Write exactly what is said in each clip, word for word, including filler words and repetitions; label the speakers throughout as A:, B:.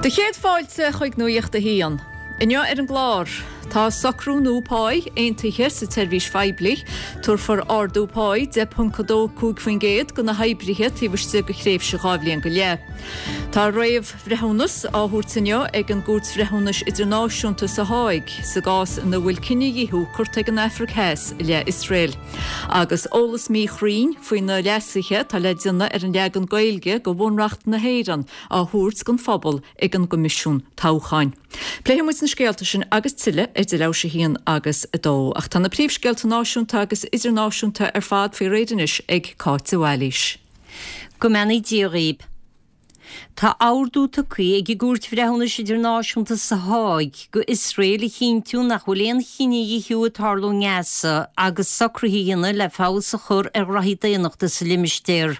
A: Do chéad fáilte chuig Nuacht a hAon. Inniu ar an gclár, tá socrú nua páí aontaithe sa tseirbhís phoiblí, tabharfar ardú páí deich ponc a dó cúig faoin gcéad do na hoibrithe taobh istigh de thréimhse dhá bhliain go leith. Tá réamhbhreithiúnas á thabhairt inniu ag an gCúirt Bhreithiúnais Idirnáisiúnta sa Háig sa gcás ina bhfuil cinedhíothú curtha ag an Afraic Theas i leith Iosrael. Agus eolas míchruinn faoi na leasuithe atá le déanamh ar an leagan Gaeilge de Bhunreacht na hÉireann á thabhairt don phobal ag an gCoimisiún Toghcháin. Pléifidh muid na scéalta sin agus tuilleadh idir leathuair tar éis a haon agus a dó, ach tá na príomhscéalta náisiúnta agus idirnáisiúnta ar fad faoi réir anois ag Cáit de Bhailís.
B: Go mbeannaí Dia dhaoibh. Tá ordú tugtha ag an gCúirt Bhreithiúnais Idirnáisiúnta sa Háig go Iosrael a chinntiú nach bhfuil aon chinedhíothú ag tarlú i nGaza agus socruithe a dhéanamh le feabhas a chur ar ghraithí daonnachta sa limistéar.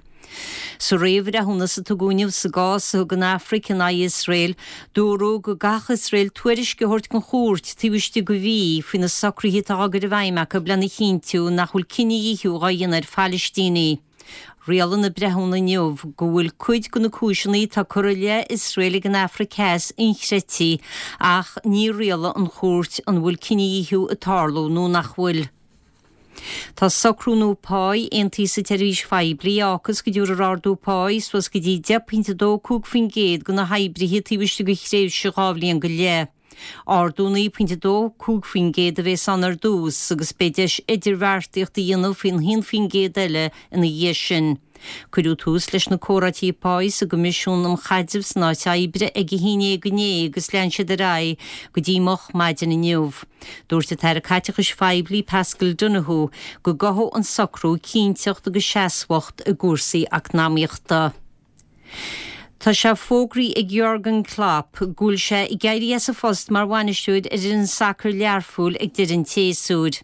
B: Sa réamhbhreithiúnas a tugadh inniu sa gcás a thug an Afraic in aghaidh Iosrael, dúradh go gcaithfeadh Iosrael tuairisc a thabhairt don chúirt taobh istigh de mhí faoi na socruithe atá á gcur i bhfeidhm acu lena chinntiú nach bhfuil cinedhíothú á dhéanamh ar Phalaistínigh. Rialaigh na breithiúna inniu go bhfuil cuid de na cúiseanna atá curtha i leith Iosrael ag an Afraic Theas inchreidte ach ní rialaigh an chúirt an bhfuil cinedhíothú ag tarlú nó nach bhfuil. Tá socrú nua páí aontaithe sa tseirbhís phoiblí a fhágfas go dtabharfar ardú páí suas go dtí deich pointe a dó cúig faoin gcéad do na hoibrithe taobh istigh de thréimhse dhá bhliain go leith. Ardú naoi pointe a dó cúig faoin gcéad a bheas ann ar dtús agus beidh deis idirbheartaíocht a dhéanamh faoin haon faoin gcéad eile ina dhiaidh sin. Cuireadh tús leis na comhráití páí sa gCoimisiún um Chaidreamh san Áit Oibre ag a haon déag inné agus lean siad ar aghaidh go dtí moch maidin inniu. Dúirt an tAire Caiteachais Phoiblí Paschal Donohoe go gcothódh an socrú cinnteacht agus seasmhacht i gcúrsaí eacnamaíochta. Tá sé fógraithe ag Jurgen Klopp go bhfuil sé ag éirí as a phost mar bhainisteoir ar fhoireann sacair Learpholl ag deireadh an tséasúir.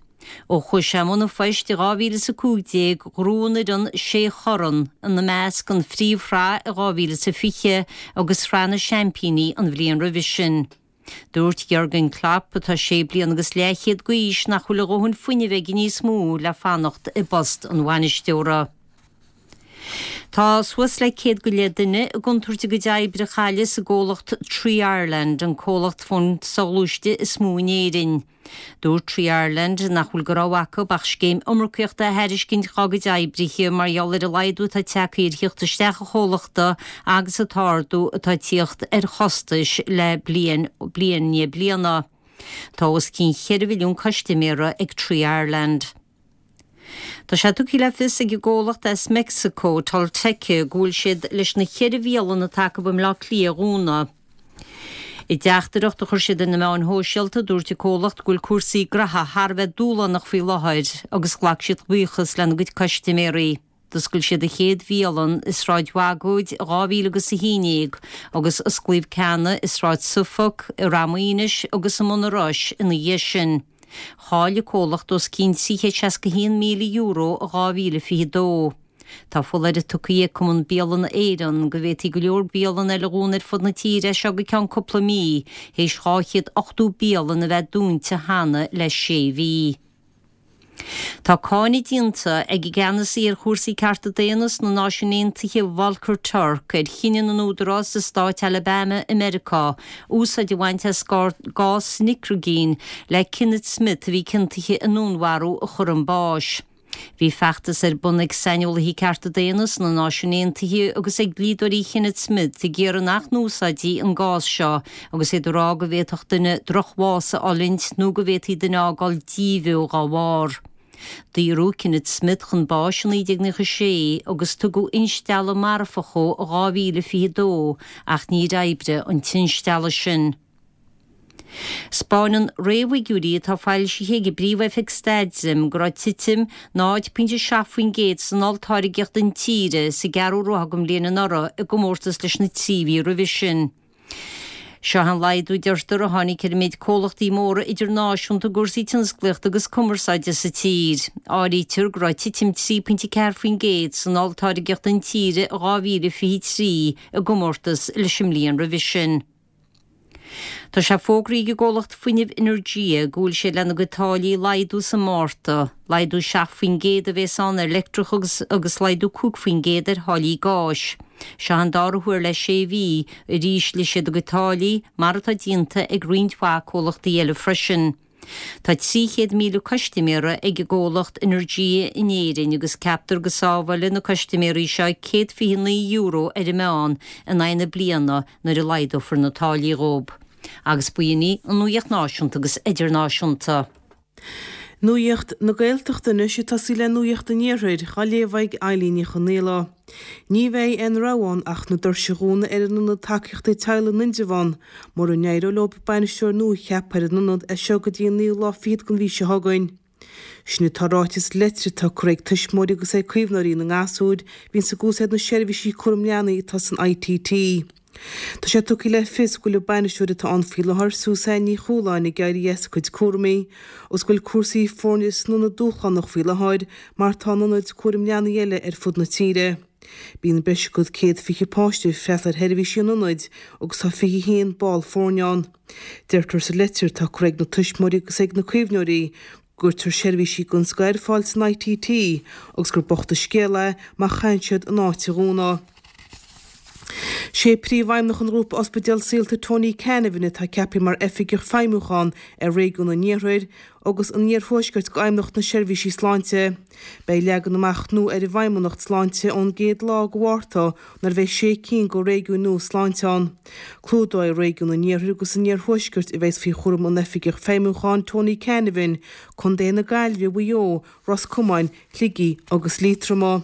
B: Ó chuaigh sé i mbun an phoist i dhá mhíle is a cúig déag ghnóthaigh an fhoireann sé chorn, ina measc an phríomhshraith i dhá mhíle is a fiche agus Sraith na Seaimpíní an bhliain roimhe sin. Dúirt Jurgen Klopp, atá sé bliana agus leathchéad d'aois, nach bhfuil a dhóthain fuinnimh aige níos mó le fanacht i bpost an bhainisteora. Tá suas le céad go leith duine i gcontúirt a gcuid oibre a chailleadh sa gcomhlacht Three Ireland, an comhlacht fón soghluaiste is mó in Éirinn. Dúirt Three Ireland nach bhfuil de rogha acu ach scéim iomarcaíochta a thairiscint dá gcuid oibrithe mar gheall ar an laghdú atá tagtha ar theacht isteach an chomhlachta agus an t-ardú atá ag tíocht ar chostais le bliain bliain i ndiaidh bliana. Tá os cionn cheithre mhilliún custaiméara ag Three Ireland. Tá sé tugtha le fios ag an gcomhlacht as Meicsiceo, Tolteca, go bhfuil siad leis na ceithre bhialann atá acu i mBleá Cliath a dhúnadh. I dteachtaireacht a chuir siad ar na meáin shóisialta, dúirt an comhlacht go bhfuil cúrsaí graithe thar a bheith dúshlánach faoi láthair agus ghlac siad buíochas lena gcuid custaiméirí. D'oscail siad a chéad bhialann i Sráid Bhagóid i dhá mhíle agus a haon déag agus osclaíodh ceanna i Sráid Suffolk, i Rath Maoinis agus i mBun an Rois ina dhiaidh sin. Chaill an comhlacht os cionn trí chéad seasca a haon míle euro i dhá mhíle fiche dó. Tá foláireamh tugtha ag Cumann Bialanna Éireann go bhféadfaí go leor bialann eile a dhúnadh ar fud na tíre as seo go ceann cúpla mí, théis dhá chéad ochtó bialann a bheith dúnta cheana le sé mhí. Tá cáineadh déanta ag an gceannasaí ar chúrsaí cearta daonna sna Náisiúin Aontaithe Volker Turk ar chinneadh na n-údarás i stát Alabama i Meiriceá úsáid a bhaint as gás nitrigine le Kenneth Smith a bhí ciontaithe i ndúnmharú a chur chun báis. Bhí feachtas ar bun ag saineolaithe cearta daonna sna Náisiúin Aontaithe agus ag dlíodóirí Kenneth Smith ag iarraidh nach n-úsáidfí an gás seo agus iad ag rá go bhféadfadh duine drochbhás a fhulaingt nó go bhféadfaí duine a fhágáil díbheo dá bharr. Daoradh Kenneth Smith chun báis i naoi déag nócha sé agus tugadh instealladh marfach dhó i dhá mhíle fiche dó ach níor oibrigh an t-instealladh sin. 'Spáineann réamhfhigiúirí atá foilsithe ag an bPríomh-Oifig Staidrimh go raibh titim náid pointe seacht faoin gcéad san olltáirgeacht intíre sa gceathrú ráithe den bhliain anuraidh i gcomórtas leis na trí mhí roimhe sin. Seo an laghdú, deirtear, a tháinig ar an méid comhlachtaí móra idirnáisiúnta i gcúrsaí tionsclaíochta agus cumarsáide sa tír. Áirítear go raibh titim trí pointe ceathair faoin gcéad san olltáirgeacht intíre i dhá mhíle fiche trí i gcomórtas leis an mbliain roimhe sin. Tá sé fógraithe ag an gcomhlacht fuinnimh Energia go bhfuil siad lena gcuid táillí a laghdú sa Márta, laghdú seacht faoin gcéad a bheas ann ar leictreachas agus laghdú cúig faoin gcéad ar tháillí gáis. Seo an dara huair le sé mhí a d'ísligh siad a gcuid táillí, mar atá déanta ag roinnt mhaith comhlachtaí eile freisin. Tá trí chéad míle custaiméara ag an gcomhlacht Energia in Éirinn agus ceaptar go sábhálfaidh na custaiméirí seo céad fiche naoi euro ar an meán in aghaidh na bliana nuair a laghdófar na táillí dhóibh. Agus b'in í an nuaíocht náisiúnta agus idirnáisiúnta.
C: Nuaíocht na Gaeltachta anois ag tosaí le Nuaíocht an Iarthair, á léamh ag Eilín Ní Chonaola. Ní bheidh aon rogha ann ach na doirse a dhúnadh ar an Ionad Tacaíochta Teaghlaigh in Indreabhán mura n-éireoidh leo bainisteoir nua a cheapadh ar an ionad as seo go dtí an naoú lá fichead den mhí seo chugainn. Sin atá ráite sa leitir atá curtha ag tuismitheoirí agus ag caomhnóirí na ngasúr a bhíonns ag úsáid na seirbhísí cúram leanaí atá san ITT. Tá sé tugtha le fios go bhfuil an bainisteoir atá ann faoi láthair, Suzanne Ní Chualáin, ag éirí as a cuid cúraimí agus go bhfuil cúrsaí foirne san ionad dúshlánach faoi láthair mar atá in ionaid cúraim leanaí eile ar fud na tíre. Bíonn breis agus céad fiche páiste ag freastal ar sheirbhísí an ionaid agus tá fiche a haon ball foirne ann. Deirtear sa leitir atá curtha ag na tuismitheoirí agus ag na caomhnóirí go gcuirtear seirbhísí den scoth ar fáil san ITT agus gur bocht an scéal é má chaitheann siad an áit a dhúnadh. Sé Príomhfheidhmeannach an Ghrúpa Ospidéal Saolta Tony Canavan atá ceaptha mar Oifigeach Feidhmiúcháin ar Réigiún an Iarthair agus an Iarthuaiscirt d'Fheidhmeannacht na Seirbhísí Sláinte. Beidh leagan amach nua ar an bhFeidhmeannacht Sláinte ón gcéad lá de Mhárta nuair a bheidh sé cinn de réigiúin nua sláinte ann. Clúdóidh Réigiún an Iarthair agus an Iarthuaiscirt a bheas faoi chúram an Oifigigh Feidhmiúcháin Tony Canavan, Contaetha na Gaillimhe, Mhaigh Eo, Ros Comáin, Shligigh agus Liatroma.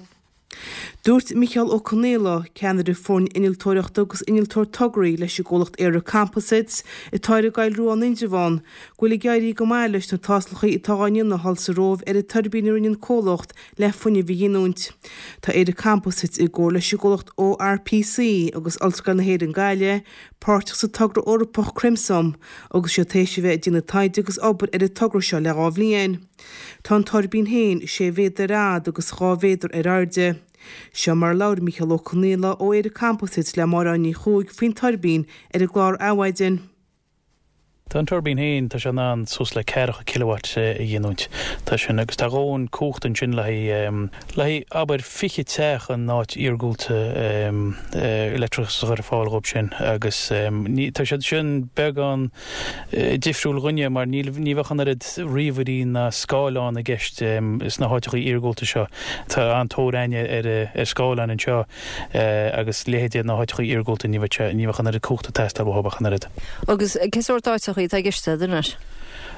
C: Dúirt Micheál Ó Conaola, ceannaire foirne innealtóireachta agus innealtóir tograí leis an gcomhlacht ÉireComposites atá ar an gCoill Rua in Indreabhán, go bhfuil ag éirí go maith leis na tástálacha atá á ndéanamh thall sa Róimh ar an tuirbín a rinne an comhlacht le fuinneamh a ghiniúint. Tá ÉireComposites i gcomhar leis an gcomhlacht ORPC agus Ollscoil na hÉireann Gaillimh páirteach sa togra Eorpach Crimson agus siad tar éis a bheith ag déanamh taighde agus obair ar an togra seo le dhá bhliain. Tá an tuirbín féin sé mhéadar ar fhad agus dhá mhéadar ar airde. Seo mar a labhair Micheál Ó Conaola ó ÉireComposites le Máire Ní Chuaig faoin tuirbín ar an gclár Adhmhaidin.
D: Tá an tuirbín féin, tá sé in ann suas le ceathracha kilowatt a ghiniúint. Tá sin, agus tá dhóthain cumhachta ansin le haghaidh, le haghaidh, abair, fiche teach in áit iargúlta leictreachas a chur ar fáil dhóibh sin agus ní, tá siad sin beagán difriúil dhúinne mar níl, ní bheadh an oiread ríomhairí ná scáileán i gceist sna háiteacha iargúlta seo. Tá an-tóir againne ar, ar scáileáin anseo agus leithéidí na háiteacha iargúlta ní bheadh sé, ní bheadh an oiread cumhachta ag teastáil uathu ach an oiread.
E: Agus cé sórt áiteacha atá i gceist anois?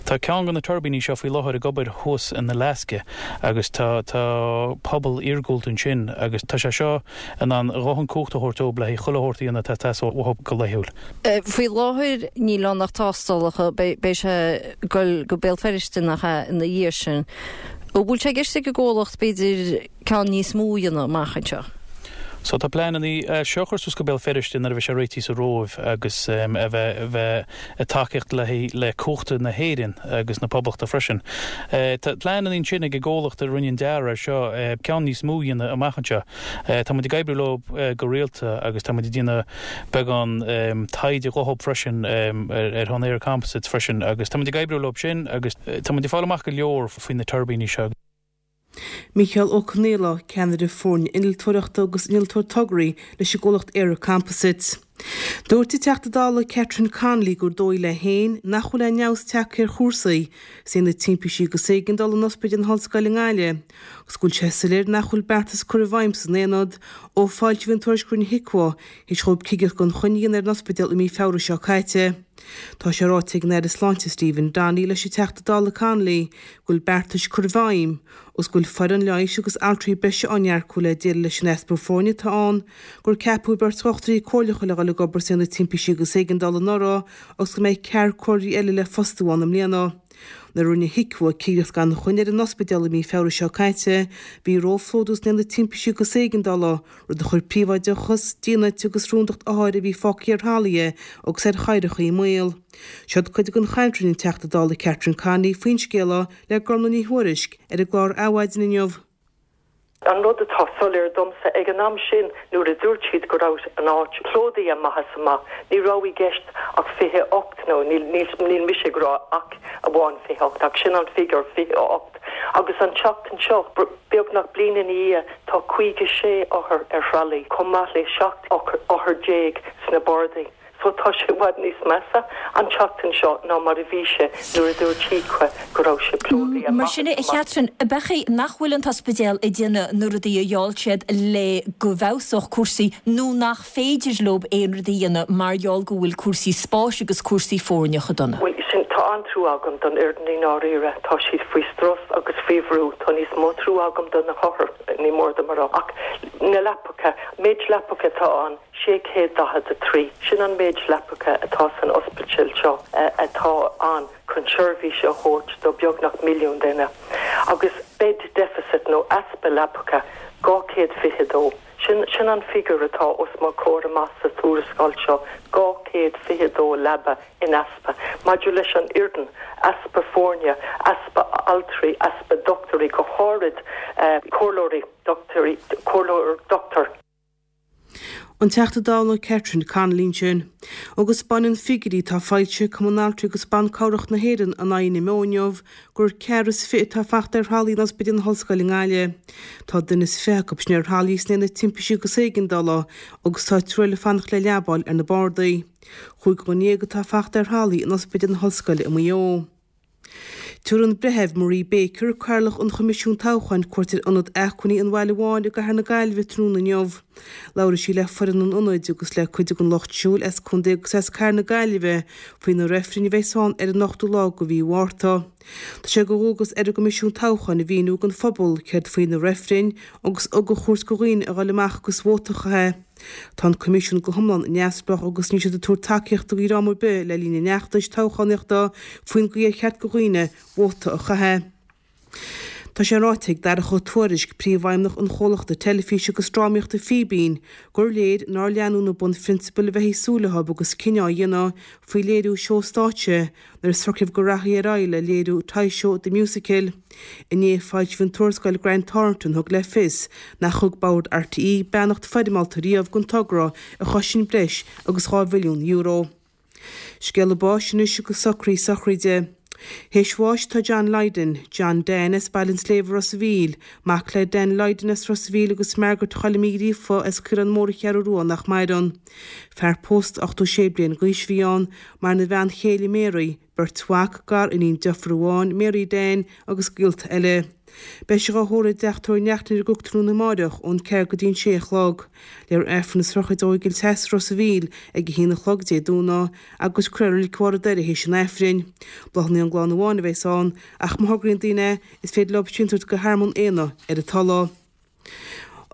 D: Tá ceann de na tuirbíní seo faoi láthair ag obair thuas in Alaska agus tá tá pobal iargúlta ansin agus tá sé seo in ann a dhóthain cumhachta a thabhairt dóibh le haghaidh chuile shórt a dhéanamh atá ag teastáil uathu go laethúil.
E: Faoi láthair níl ann ach tástálacha, beidh sé ag dul go Béal Feirste nach ea ina dhiaidh sin. An bhfuil sé i gceist ag an gcomhlacht b'fhéidir ceann níos mó a dhéanamh amach anseo?
D: So tá pleananna é seo a chur suas go Béal Feirste nuair a bheidh sé réitithe sa Róimh agus a bheith bheith ag tacaíocht le le cumhachta na hÉireann agus na Poblachta freisin. Tá pleananna ansin ag an gcomhlacht a rinne an dearadh air seo ceann níos mó a dhéanamh amach anseo. Tá muid ag oibriú leo go rialta agus tá muid ag déanamh beagán taighde dhóibh freisin ar shon ÉireComposites freisin agus tá muid ag oibriú leo sin agus tá muid ag fáil amach go leor faoi na tuirbíní seo.
C: Micheál Ó Conaola, Ceannaire Foirne Innealtóireachta agus Innealtóir Tograí leis an gcomhlacht ÉireComposites. Dúirt an Teachta Dála Catherine Connolly gur dóigh léi féin nach bhfuil aon fheabhas tagtha ar chúrsaí san Aonad Timpistí agus Éigeandála in Ospidéal na hOllscoile i nGaillimh agus go bhfuil sé soiléir nach bhfuil beartas curtha i bhfeidhm san aonad ó foilsíodh an tuairisc a rinne HIQA théis dhóibh cigireacht gan choinne a dhéanamh ar an ospidéal i mí Feabhra seo caite. Tá sé ráite ag an Aire Sláinte Stephen Donnelly leis an Teachta Dála Connolly go bhfuil beartais curtha i bhfeidhm agus go bhfuil foireann leighis agus altraí breise á n-earcú le déileáil leis an easpa foirne atá ann, gur ceapadh beirt dhochtúirí comhairleacha le dhul ag obair san Aonad Timpistí agus Éigeandála anuraidh agus go mbeidh ceathrar comhairleoirí eile le fostú ann i mbliana. Nuair a rinne HIQA cigireacht gan choinne ar an ospidéal i mí Feabhra seo caite, bhí róphlódú san Aonad Timpistí agus Éigeandála, rud a chuir príobháideachas, dínit agus rúndacht othair a bhí fágtha ar thralaithe agus ar chathaoireacha i mbaol. Seod cuid den chaint a rinne an Teachta Dála Catherine Connolly faoin scéal le Gormfhlaith Ní Thuairisg ar an gclár Adhmhaidin inniu.
F: An rud atá soiléir domsa, ag an am sin nuair a dúirt siad go raibh an áit plódaithe amach is amach, ní raibh i gceist ach fiche ocht nó nó níl níl mise ag rá ach amháin fiche hocht ach sin an figiúr fiche hocht. Agus an tseachtain seo beagnach bliain ina dhiaidh tá caoga sé othar ar thralaí, chomh maith le seacht othar déag sna bardaí. So tá sé i bhfad níos measa an tseachtain seo ná mar a bhí sé nuair a dúirt HIQA go raibh sé plódaithe.
G: Mar sin a Chatherine, ab é nach bhfuil an t-ospidéal ag déanamh na rudaí a gheall siad le go bhfeabhsódh cúrsaí nó nach féidir leo aon rud a dhéanamh mar gheall go bhfuil cúrsaí spáis agus cúrsaí foirne chomh dona.
F: Bhuel sin tá an-trua agam don fhoireann i ndáiríre, tá siad faoi strus agus faoi bhrú, tá níos mó trua agam do na hothair ní mór dom a rá ach na leapacha, méid leapacha atá ann sé chéad daichead a trí. Sin an méid leapacha atá san ospidéal seo atá ann chun seirbhís a thabhairt do beagnach milliún duine. Agus bed deficit nó easpa leapacha dhá chéad fiche dó. Sin sin an figiúr atá os mo chomhair amach sa tuarascáil seo dhá chéad fiche dó leaba in easpa. Maidir leis an fhoireann, easpa foirne, easpa altraí, easpa dochtúirí go háirid uh, comhairleoirí dochtúirí comhairleoir dochtúir.
C: An Teachta Dála Catherine Connolly ansin. Agus baineann figiúirí atá foilsithe ag Cumann Altraí agus Ban Cabhrach na hÉireann in aghaidh na meán inniu gur ceathrar is fiche atá fachta ar thralaí in Ospidéal na hOllscoile i nGaillimh. Tá duine is fiche acu sin ar thralaí sna haonaid timpistí agus éigeandála agus tá triúr eile ag fanacht le leaba a fháil ar na bardaí. Cúig dhuine dhéag atá fachta ar thralaí in Ospidéal na hOllscoile i Maigh Eo. Tabharfaidh an Breitheamh Marie Baker, Cathaoirleach an Choimisiúin Toghcháin, cuairt ar Ionad Acmhainní an Bhaile Bháin i gCathair na Gaillimhe tráthnóna inniu. Labhróidh sí le foireann an ionaid agus le cuid den lucht siúil as contae agus as Cathair na Gaillimhe faoi na reifrinn a bheas ann ar an ochtú lá de mhí Mhárta. Tá sé de dhualgas ar an gCoimisiún Toghcháin a mhíniú don phobal céard faoi na reifrinn agus ugach a thabhairt do dhaoine a dhul amach agus vóta a chaitheamh. Tá an Coimisiún go hiomlán neamhspleách agus níl siad ag tabhairt tacaíochta do dhream ar bith le linn an fheachtais toghchánaíochta faoin gcaoi ar cheart do dhaoine vóta a chaitheamh. Tá sé ráite ag Darach Ó Tuairisg, príomhfheidhmeannach an chomhlachta teilifíse agus drámaíochta Fíbín, gur léir nár leanadh na bunphrionsabail a bheifí ag súil leo agus cinneadh á dhéanamh faoi léiriú seó stáitse nuair a socraíodh go rachfaí ar aghaidh le léiriú Toy Show The Musical. Inné foilsíodh an tuarascáil Grant Thornton thug le fios nach thug Bord RTÉ beannacht foirmeálta riamh don togra a chosain breis agus dhá mhilliún euro. Scéala báis anois agus socraí sochraide. Théis bháis tá John Lydon, John Dan as Baile an tSléibhe Ros a' Mhíl, mac le Dan Lydon as Ros a' Mhíl agus Margaret Choilm Uí Ghríofa as Caorán Mór an Cheathrú Rua nach maireann. Fear pósta ochtó sé bliain d'aois a bhí ann, maireann a bhean chéile Mary, beirt mhac, gariníon deirfiúr amháin, Mary Dan agus gaolta eile. Beidh sé á thórramh i dteach tórraimh Neachtain ar an gCnoc tráthnóna amáireach ón ceathair go dtí an sé a chlog. Léifear Aifreann na sochraide ó Ghill Theas Ros a' Mhíl ag a haon a chlog Dé Domhnaigh agus cuirfear i Reilig Bharr an Doire théis an Aifrinn. Bláthanna ón gclann amháin a bheas ann ach má thograíonn daoine is féidir leo síntiús go Thearmann Éanna ar a dtoil.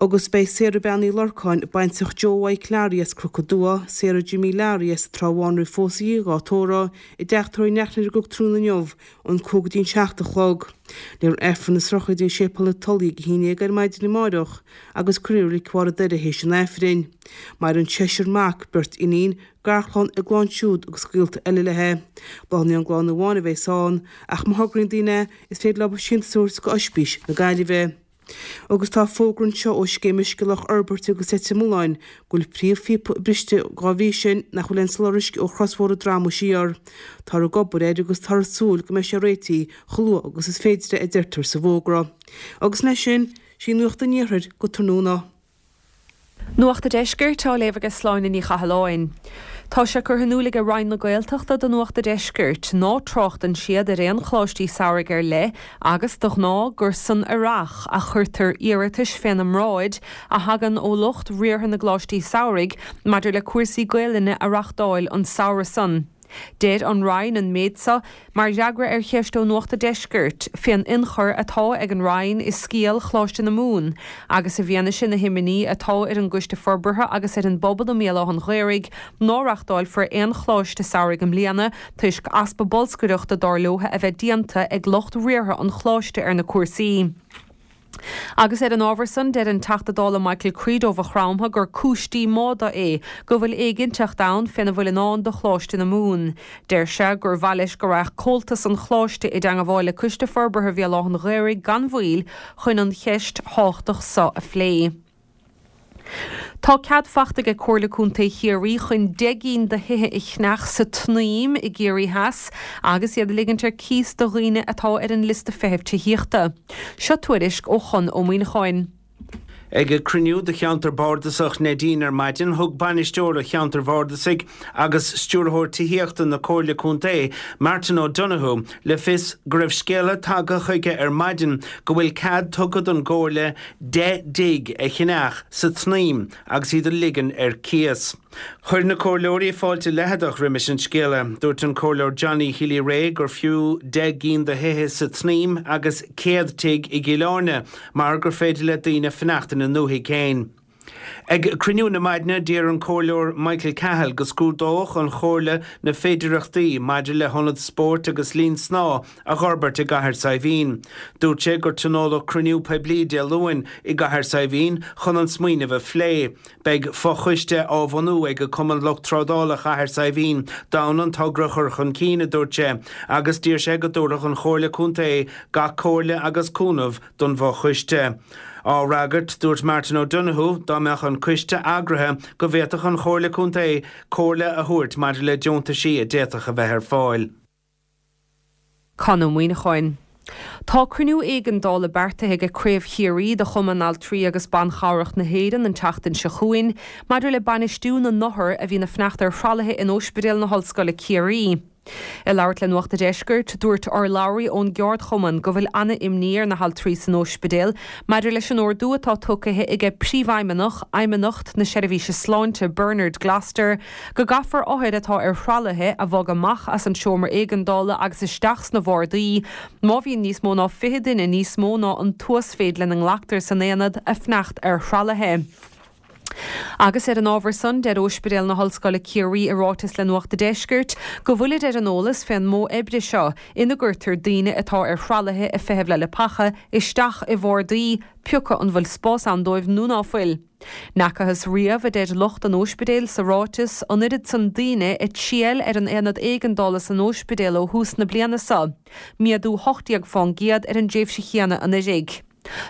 C: Agus beidh Sarah Bean Uí Lorcáin, baintreach Joe Mike Larry as Cnoc an Dua, Sarah Jimmy Larry as Trá Bháin roimh phósadh í dhá tórramh i dteach tórraimh Neachtain ar an gCnoc tráthnóna inniu ón cúig go dtí an seacht a chlog. Léifear Aifreann na sochraide i Séipéal na Tulaí ag a haon déag ar maidin amáireach agus cuirfear i Reilig Bharr an Doire théis an Aifrinn. Maireann seisear mac, beirt iníon, garchlann, a gclann siúd agus gaolta eile léi. Bláthanna ón gclann amháin a bheas ann, ach má thograíonn daoine is féidir leo síntiús a thabhairt go Ospís na Gaillimhe. Agus tá fógra anseo ó Scéim Uisce Loch Fhorbairte agus Leitir Mealláin go bhfuil príomhphíopa briste dá bhrí sin nach bhfuil aon soláthar uisce ó chrosbhóthar an Droma siar. Táthar ag obair air agus táthar ag súil go mbeidh sé réitithe chomh luath agus is féidir a deirtear sa bhfógra. Agus leis sin, sí Nuacht an Iarthair go tráthnóna.
H: Nuacht an Deiscirt á léamh ag Sláine Ní Chathalláin. Tá sé curtha in iúl ag Roinn na Gaeltachta do Nuacht an Deiscirt ná tráchtann siad ar aon choláistí samhraidh ar leith agus de ghnáth gur san earrach a chuirtear iarratais féna mbráid a thagann ó lucht riartha na gcoláistí samhraidh maidir le cúrsaí Gaelainne a reáchtáil an samhradh san. Deir an Roinn an méid seo mar fhreagra ar cheist ó Nuacht an Deiscirt fén ionchur atá ag an Roinn i scéal Choláiste na Mumhan, agus i bhfianaise na himní atá ar an gCoiste Forbartha agus ar an bpobal i mBéal Átha an Ghaorthaidh ná reáchtálfar aon choláiste samhraidh i mbliana toisc easpa bolscaireachta dar leo a bheith déanta ag lucht riartha an choláiste ar na cúrsaí. Agus ar an ábhar san deir an Teachta Dála Michael Creed ó Mhaigh Chromtha gur cúis díomá dó é go bhfuil éiginnteacht ann féna bhfuil i ndán do Choláiste na Mumhan. Deir sé gur mhaith leis go rachadh comhaltas an choláiste i dteagmháil le Coiste Forbartha Bhéal Átha an Ghaorthaidh gan mhoill chun an cheist thábhachtach seo a phlé. Tá cead fachta ag Comhairle Contae Chiarraí chun deich gcinn de thithe a cheannach sa tSnaidhm i gCiarraí Theas agus iad a ligint ar cíos do dhaoine atá ar an liosta feithimh tithíochta. Seo tuairisc ó Chon Ó Muíneacháin.
I: Ag cruinniú de cheantar bardasach Neidín ar maidin, thug bainisteoir an cheantair bhardasaigh agus stiúrthóir tithíochta na Comhairle Contae, Martin O'Donoghue, le fios go raibh scéala tagtha chuige ar maidin go bhfuil cead tugtha don gComhairle deich dtigh a cheannach sa tSnaidhm agus iad a ligean ar cíos. Chuir na comhairleoirí fáilte leitheadach roimis an scéala. Dúirt an Comhairleoir Johnny Healy-Rae gur fiú deich gcinn de thithe sa tSnaidhm agus céad tigh i gCill Airne mar gur féidir le daoine fanacht ina ndúthaigh féin. Ag cruinniú na maidne d'iarr an Comhairleoir Michael Cahill go scrúdódh an Chomhairle na féidearthachtaí maidir le hionad spóirt agus linn snámha a fhorbairt i gCathair Saidhbhín. Dúirt sé gur tionóladh cruinniú poiblí Dé Luain i gCathair Saidhbhín chun an smaoineamh a phlé. Beidh fochoiste á bhunú ag Cumann Lucht Trádála Chathair Saidhbhín d'fhonn an togra a chur chun cinn, a dúirt sé, agus d'iarr sé go dtabharfadh an Chomhairle Contae gach comhairle agus cúnamh don bhfochoiste. Á fhreagairt, dúirt Martin O'Donoghue dá mbeadh an coiste eagraithe go bhféadfadh an Chomhairle Contae comhairle a thabhairt maidir le deontaisí a d'fhéadfadh a bheith ar fáil.
H: Con Ó Muíneacháin. Tá cruinniú éigeandála beartaithe ag Craobh Chiarraí de Chumann Altraí agus Ban Chabhrach na hÉireann an tseachtain seo chugainn maidir le bainistiú na n-othar a bhíonn ag fanacht ar thralaithe in Ospidéal na hOllscoile Ciarraí. Ag labhairt le Nuacht a' Deiscirt, dúirt urlabhraí ón gceardchumann go bhfuil an-imní ar na haltraí san ospidéal maidir leis an ordú atá tugtha aige Príomhfheidhmeannach Fheidhmeannacht na Seirbhíse Sláinte Bernard Gloster go gcaithfear othair atá ar thralaithe a bhogadh amach as an seomra éigeandála agus isteach sna bardaí má bhíonn níos mó ná fiche duine níos mó ná an t-uasmhéid lena nglactar san aonad ag fanacht ar thralaithe. Agus ar an ábhar san, deir Ospidéal na hOllscoile Ciarraí i ráiteas le Nuacht a' Deiscirt go bhfuilid ar an eolas fén modh oibre seo ina gcuirtear daoine atá ar thralaithe ag feitheamh le leapacha isteach i bhardaí, pioca an bhfuil spás ann dóibh nó ná fuil. N'fhacathas riamh, a deir lucht an ospidéil sa ráiteas, an oiread san daoine ag triall ar an aonad éigeandála san ospidéal ó thús na bliana seo, méadú hocht déag fán gcéad ar an dtréimhse chéanna anuiridh.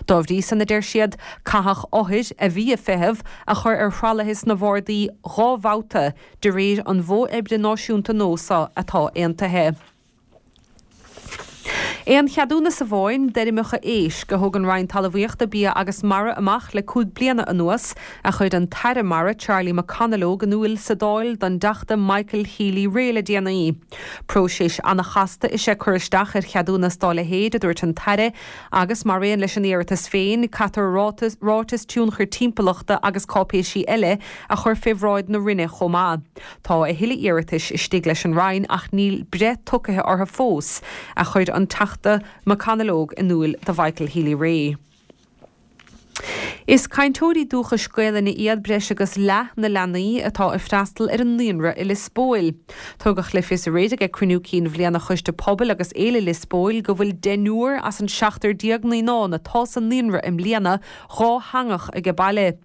H: Dá bhrí san, a deir siad, caitheadh othair a bhí ag feitheamh a chur ar thralaithe sna bhardaí dhá bhabhta de réir an mhodh oibre náisiúnta nua seo atá aontaithe. Aon cheadúnas amháin d'fheirmeacha éisc a thug an Roinn Talmhaíochta, Bia agus Mara amach le cúig bliana anuas, a chuir an tAire Mara Charlie McConalogue in iúl sa Dáil don dTeachta Michael Healy-Rae le déanaí. Próiseas an-chasta is ea cur isteach ar cheadúnas dá leithéid, a dúirt an tAire, agus mar aon leis an iarratas féin, caithfear ráiteas tionchair timpeallachta agus cáipéisí eile a chur fé bhráid na Roinne chomh maith. Tá a thuilleadh iarratais istigh leis an Roinn ach níl breith tugtha orthu fós, a chuir an Teachta McConalogue in iúl do Mhichael Healy-Rae. Is cainteoirí dúchais Gaelainne iad breis agus leath na leanaí atá ag freastal ar an naíonra i Lios Póil. Tugadh le fios aréir ag cruinniú cinn bhliana Choiste Pobail agus Fhéile Lios Póil go bhfuil deichniúr as an seachtar déag naíonán atá sa naíonra i mbliana dhátheangach age baile.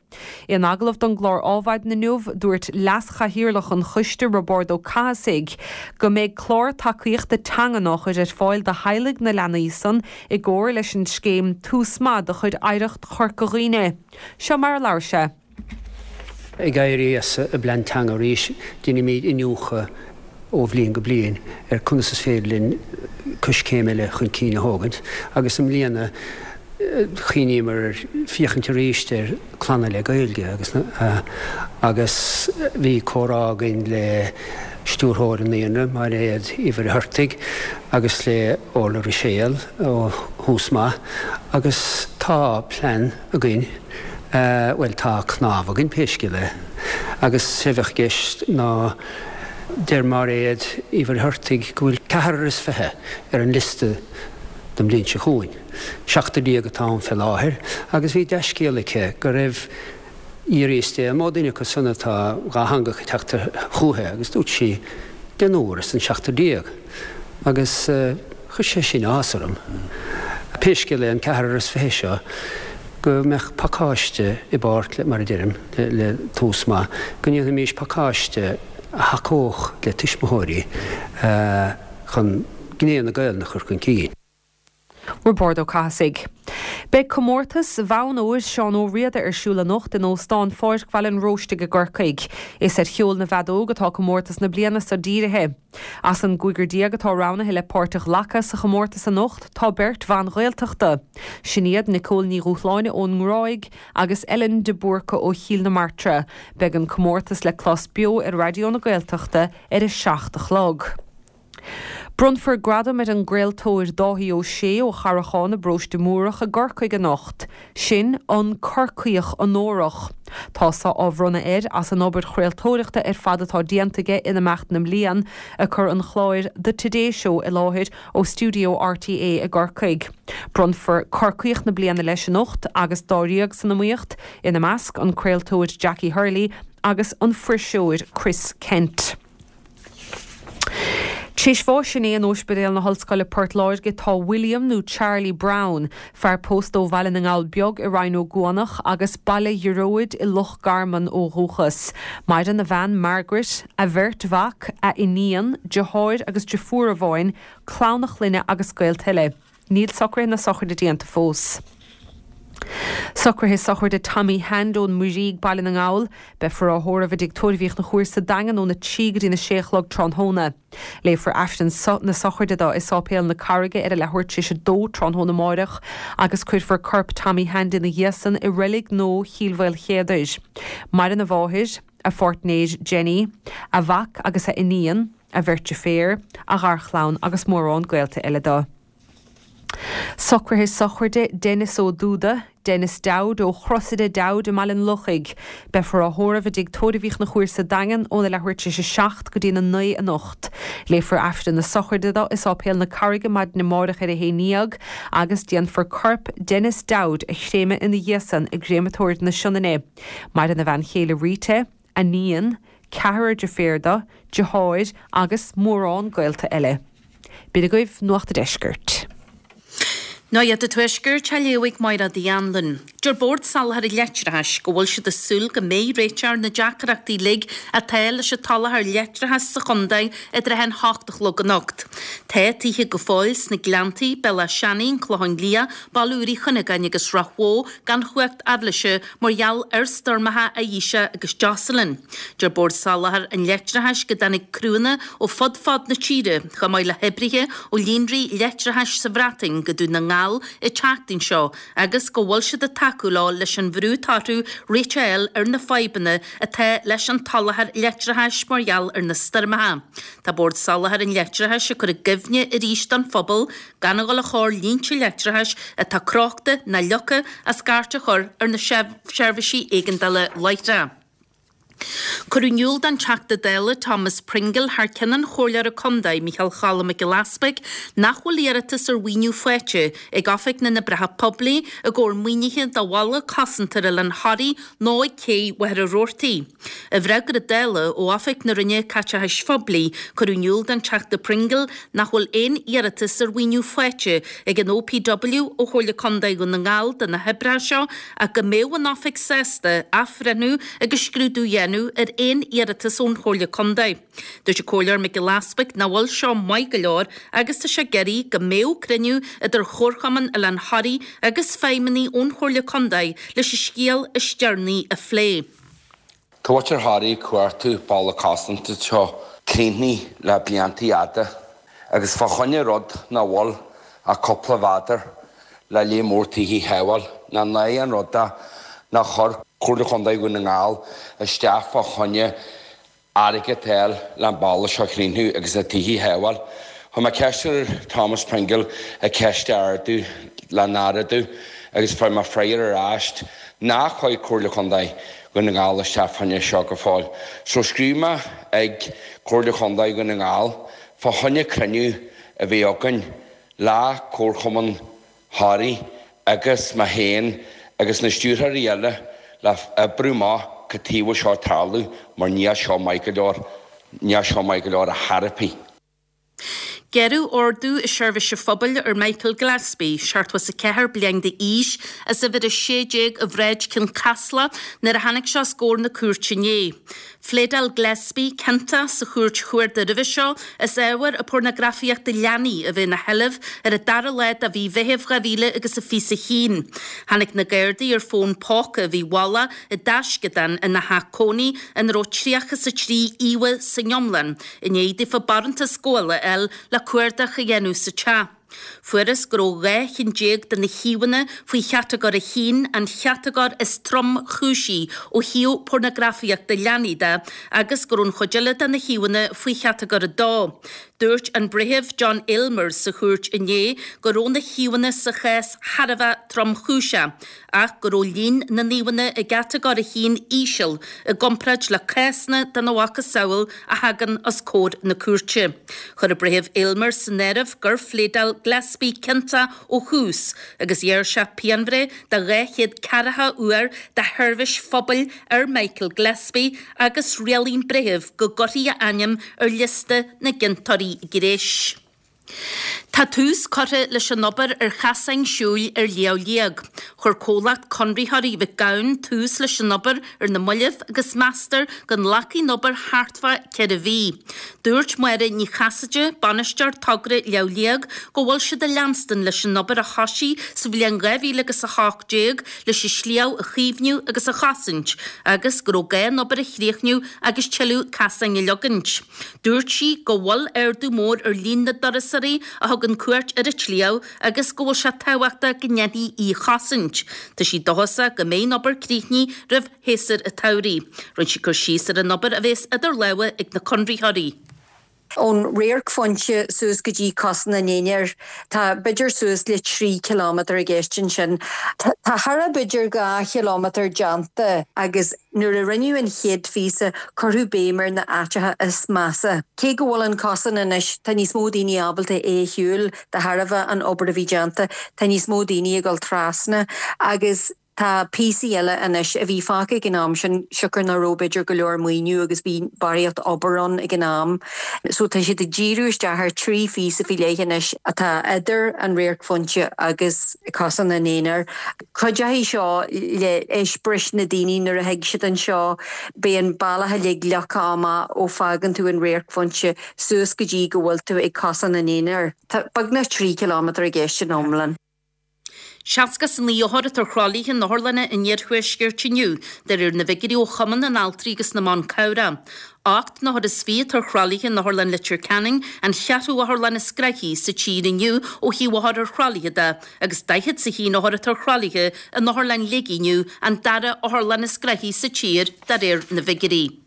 H: In agallamh don gclár Ádhmhaidin inniu, dúirt Leas-Chathaoirleach an Choiste, Roibeárd Ó Cathasaigh, go mbeidh clár tacaíochta teangan á chur ar fáil do theaghlaigh na leanaí san i gcomhar leis an scéim Tús Maith de chuid Oidhreacht Chorca Dhuibhne. Seo mar a labhair sé.
J: Ag éirí as an bplean teanga arís, déanaimid iniúchadh ó bhliain go bliain ar conas is féidir linn coiscéim eile chun cinn a thógaint agus i mbliana chuimhníomar ar féachaint arís ar clanna le Gaeilge agus agus bhí comhrá againn le stiúrthóir an Naíonra, Máiréad Uí Mhuircheartaigh agus le Orla Ruiséal ó Thús Maith agus tá plean againn, bhuel tá cnámh againn pé scéal é agus sé a bheadh i gceist ná deir Máiréad Uí Mhuircheartaigh go bhfuil ceathrar is fiche ar an liosta don bhliain seo chugainn. Seachtar déag atá ann fé láthair agus bhí dea-scéal aici go raibh D'fhiafraíos di an mó duine acu san atá dhátheangach ag teacht chúithi agus dúirt sí deichniúr as an seachtar déag agus chuir sé sin áthas orm. Pé scéal é an ceathrar is fiche seo go mbeadh pacáiste i bpáirt le, mar a deirim, le Tús Maith, go ndéanfaimís pacáiste a thacódh le tuismitheoirí chun gné na Gaelainne a chur chun cinn.
H: Roibeárd Ó Cathasaigh. Beidh comórtas Bhonn Óir Seán Ó Riada ar siúl anocht in Óstán Pháirc Bhaile an Róistigh i gCorcaigh. Is ar cheol na bhfeadóg atá comórtas na bliana seo dírithe. As an gcúigear déag atá roghnaithe le páirt a ghlacadh sa chomórtas anocht tá beirt bhan Ghaeltachta. Sin iad Nicole Ní Dhúshláine ón nGráig agus Ellen de Búrca ó Chill na Martra. Beidh an comórtas le clos beo ar Raidió na Gaeltachta ar a seacht a chlog. Bronnfar gradam ar an gcraoltóir Dáithí Ó Sé ó Charrachán i bparóiste Múrach i gCorcaigh anocht. Sin an Corcaíoch Onórach. Tá seo á bhronnadh air as an obair chraoltóireachta ar fad atá déanta aige in imeacht na mblian ag cur an chláir The Today Show i láthair ó stiúideo RTÉ i gCorcaigh. Bronnfar Corcaíoch na bliana leis anocht agus dáréag san iomaíocht, ina measc an craoltóir Jackie Hurley agus an fuirseoir Chris Kent. Théis bháis inné in Ospidéal na hOllscoile Port Láirge tá William nó Charlie Brown, fear pósta ó Bhaile na nGall Beag i Rinn Ó gCuanach agus Baile Ghearóid i Loch Garman ó dhúchas. Maireann a bhean Margaret, a bheirt mhac, a iníon, deartháir agus deirfiúr amháin, clann a chlainne agus gaolta eile. Níl socruithe na sochraide déanta fós. Socruithe sochraide Tommy Hand ón Muirígh Baile na nGall, beifear á thórramh i dTigh Tórraimh Uí Chonchúir sa Daingean óna trí go dtí na sé a chlog tráthnóna. Léifear Aifreann na sochraide dó i Sáipéal na Carraige ar a leathuair tar éis a dó tráthnóna amárach agus cuirfear corp Tommy Hand ina dhiaidh san i reilig nua Chill Mhaoilchéadair. Maireann a mháthair, a pháirtnéir Jenny, a mhac agus a iníon, a bheirt deirféar, a gharchlann agus mórán gaolta eile dó. Socruithe sochraide Denis Ó Dúda, Denis Dowd ó Chrosaire Dowd i mBaile an Lochaigh. Beifear á thórramh i dTigh Tórraimh Uí Chonchúir sa Daingean óna leathuair tar éis a seacht go dtí na naoi anocht. Léifear Aifreann na sochraide dó i Sáipéal na Carraige maidin amárach ar a haon déag agus déanfar corp Denis Dowd a chréamadh ina dhiaidh san i gCréamatóir na Sionainne. Maireann a bhean chéile Rita, a níon, ceathrar deirféar dó, deartháir agus mórán gaolta eile. B'in agaibh Nuacht an Deiscirt.
K: Nuacht an Tuaiscirt á léamh ag Máire Uí Anluain. Deir Bord Soláthair an Leictreachais go bhfuil siad ag súil go mbeidh réiteach ar na deacrachtaí uilig atá leis an tsoláthar leictreachais sa chontae i dtrátha an hocht a chlog anocht. Tá tithe go fóill sna Gleanntaí, Béal Átha Seanaidh, An Clochán Liath, Baile Úr Uí Chuinneagáin agus Ráth Bhoth gan chumhacht aibhléise mar gheall ar stoirmeacha Ayesha agus Jocelyn. Deir Bord Soláthair an Leictreachais go dtáinig criúnna ó fud fad na tíre, chomh maith le hoibrithe ó líonraí leictreachais sa Bhreatain go Dún na nGall an tseachtain seo agus go bhfuil siad ag tacú leo leis an bhrú atá orthu réiteach a fháil ar na fadhbanna atá leis an tsoláthar leictreachais mar gheall ar na stoirmeacha. Tá Bord Soláthair an Leictreachais ag cur i gcuimhne arís don phobal gan a dhul a chur línte leictreachais atá crochta ná leagtha as scairt a chur ar na seirbhísí éigeandála láithreach. Cuireadh in iúl don Teachta Dála Thomas Pringle thar ceann an Chomhairleora Contae, Micheál Choilm Mac Giolla Easpaig, nach bhfuil iarratas ar mhaoiniú faighte ag Oifig na nOibreacha Poiblí i gcomhair maoinithe do bhalla cosanta ar Oileán Thoraí nó ag cé Mhachaire Rabhartaigh. I bhfreagra Dála ó Oifig na Roinne Caiteachais Phoiblí, cuireadh in iúl don Teachta Pringle nach bhfuil aon iarratas ar mhaoiniú faighte ag an OPW ó Chomhairle Contae Dhún na nGall do na hoibreacha seo ach go mbeadh an Oifig sásta athbhreithniú agus scrúdú a dhéanamh ar aon iarratas ón Chomhairle Contae. Dúirt an Comhairleoir Mac Giolla Easpaig nach bhfuil seo maith go leor agus tá sé ag iarraidh go mbeadh cruinniú idir Chomharchumann Oileán Thoraí agus feidhmeannaigh ón Chomhairle Contae leis an scéal is deireanaí a phlé.
L: Tá muintir Thoraí ag cuartú balla cosanta seo críochnaithe le blianta fhada agus fá choinne rud nach bhfuil ach cúpla mhéadar le léar mór tithe a shábháil ná ná an rud é nár chuir Comhairle Chontae Dhún na nGall isteach fá choinne airgead a fháil le an balla seo a chríochnú agus na tithe a shábháil. Chuir mé ceist ar Thomas Pringle an cheist a ardú le n-ardú agus fuair mé freagra ar ais nár chuir Comhairle Chontae Dhún na nGall isteach fá choinne seo go fóill. So scríobh mé ag Comhairle Chontae Dhún na nGall fá choinne cruinniú a bheith againn le Comharchumann Thoraí agus mé féin agus na stiúrthóirí eile le oibriú amach cad chuige a bhfuil seo ag tarlú mar níl seo maith go leor, níl seo maith go leor ar chor ar bith.
K: Gearradh ordú seirbhíse phobail ar Michael Gillespie, seachtó is a ceathair bliain d'aois, as uimhir a sé déag i bhSráid Chionn Caslach nuair a tháinig sé os comhair na cúirte inné. Phléadáil Gillespie ciontach sa chúirt chuarda roimhe seo as ábhar a pornagrafaíochta leanaí a bheith ina sheilbh ar an dara lá de mhí Mheithimh dhá mhíle agus a fiche a haon. Tháinig na Gardaí ar fón póca a bhí i bhfolach i dtaisceadán ina theach cónaí ina raibh tríocha is a trí íomhá san iomlán, i ndiaidh daofa barántas gabhála a fháil le cuardach a dhéanamh sa teach. Fuarthas go raibh dhá cheann déag de na híomhánna faoi chatagóir a haon, an chatagóir is tromchúisí ó thaobh pornagrafaíochta leanaí de, agus go raibh an chuid eile de na híomhánna faoi chatagóir a dó. Dúirt an Breitheamh John Aylmer sa chúirt inné go raibh na híomhánna sa chás thar a bheith tromchúiseach, ach go raibh líon na n-íomhánna i gcatagóir a haon íseal i gcomparáid le cásanna dena mhacasamhail a thagann os comhair na cúirte. Chuir an Breitheamh Aylmer san áireamh gur phléadáil Gillespie ciontach ó thús agus ghearr sé pianbhreith de dhá chéad ceathracha uair de sheirbhís phobail ar Michael Gillespie agus rialaigh an Breitheamh go gcuirfí a ainm ar liosta na gciontóirí gnéis. Tá tús curtha leis an obair ar chasáin siúil ar Shliabh Liag. Chuir comhlacht conraitheoirí Mhic Gabhann tús leis an obair ar na mallaibh agus meastar go nglacfaidh an obair thart fá ceithre mhí. Dúirt Máire Ní Chasaide, bainisteoir togra Shliabh Liag, go bhfuil siad ag leanstan leis an obair a thosaigh sa bhliain dhá mhíle agus a hocht déag leis an sliabh a chaomhnú agus a chosaint agus go raibh gá an obair a chríochnú agus tuilleadh casáin a leagaint. Dúirt sí go bhfuil ardú mór ar líon na dturasóirí a thugann cuairt ar an tsliabh agus go bhfuil sé tábhachtach go ndéanfaí í a chosaint. Tá sí dóchasach go mbeidh an obair críochnaithe roimh shéasúr an tsamhraidh. Rinne sí cur síos ar an obair a bheas idir lámha ag na conraitheoirí.
M: Ón radharcphointe suas go dtí Cosán an Aonair, tá b'fhéidir suas le trí chileámeter i gceist ansin. Tá thar a b'fhéidir dhá chileámeter déanta agus nuair a rinneadh an chéad phíosa cuireadh béim ar na áiteacha is measa. Cé go bhfuil an cosán anois tá níos mó daoine ábalta é a shiúl de thairbhe an obair a bhí déanta, tá níos mó daoine ag dul trasna agus tá píosaí eile anois a bhí fágtha ag an am sin siocair nach raibh b'fhéidir go leor maoiniú agus bhí barraíocht obair ann ag an am. So tá siad ag díriú isteach ar trí phíosa faoi leith anois atá idir an radharcphointe agus Cosán an Aonair. Cuideoidh seo le eispéireas na daoine nuair a thig siad anseo, beidh an bealach uilig leagtha amach ó fágann tú an radharcphointe suas go dtí go bhfuil tú ag Cosán an Aonair. Tá beagnach trí chileámeter i gceist in iomlán.
K: Seasca is a naoi othar atá ar thralaithe in otharlanna an iarthuaiscirt inniu, de réir na bhfigiúirí ó Chumann na nAltraí agus na mBan Cabhrach. Ocht n-othar is fiche atá ar thralaithe in Otharlann Leitir Ceanainn, an cheathrú otharlann is gnoithí sa tír inniu ó thaobh othar ar thralaithe de, agus daichead is a haon othar atá ar thralaithe in Otharlann Shligigh inniu, an dara otharlann is gnoithí sa tír, de réir na bhfigiúirí.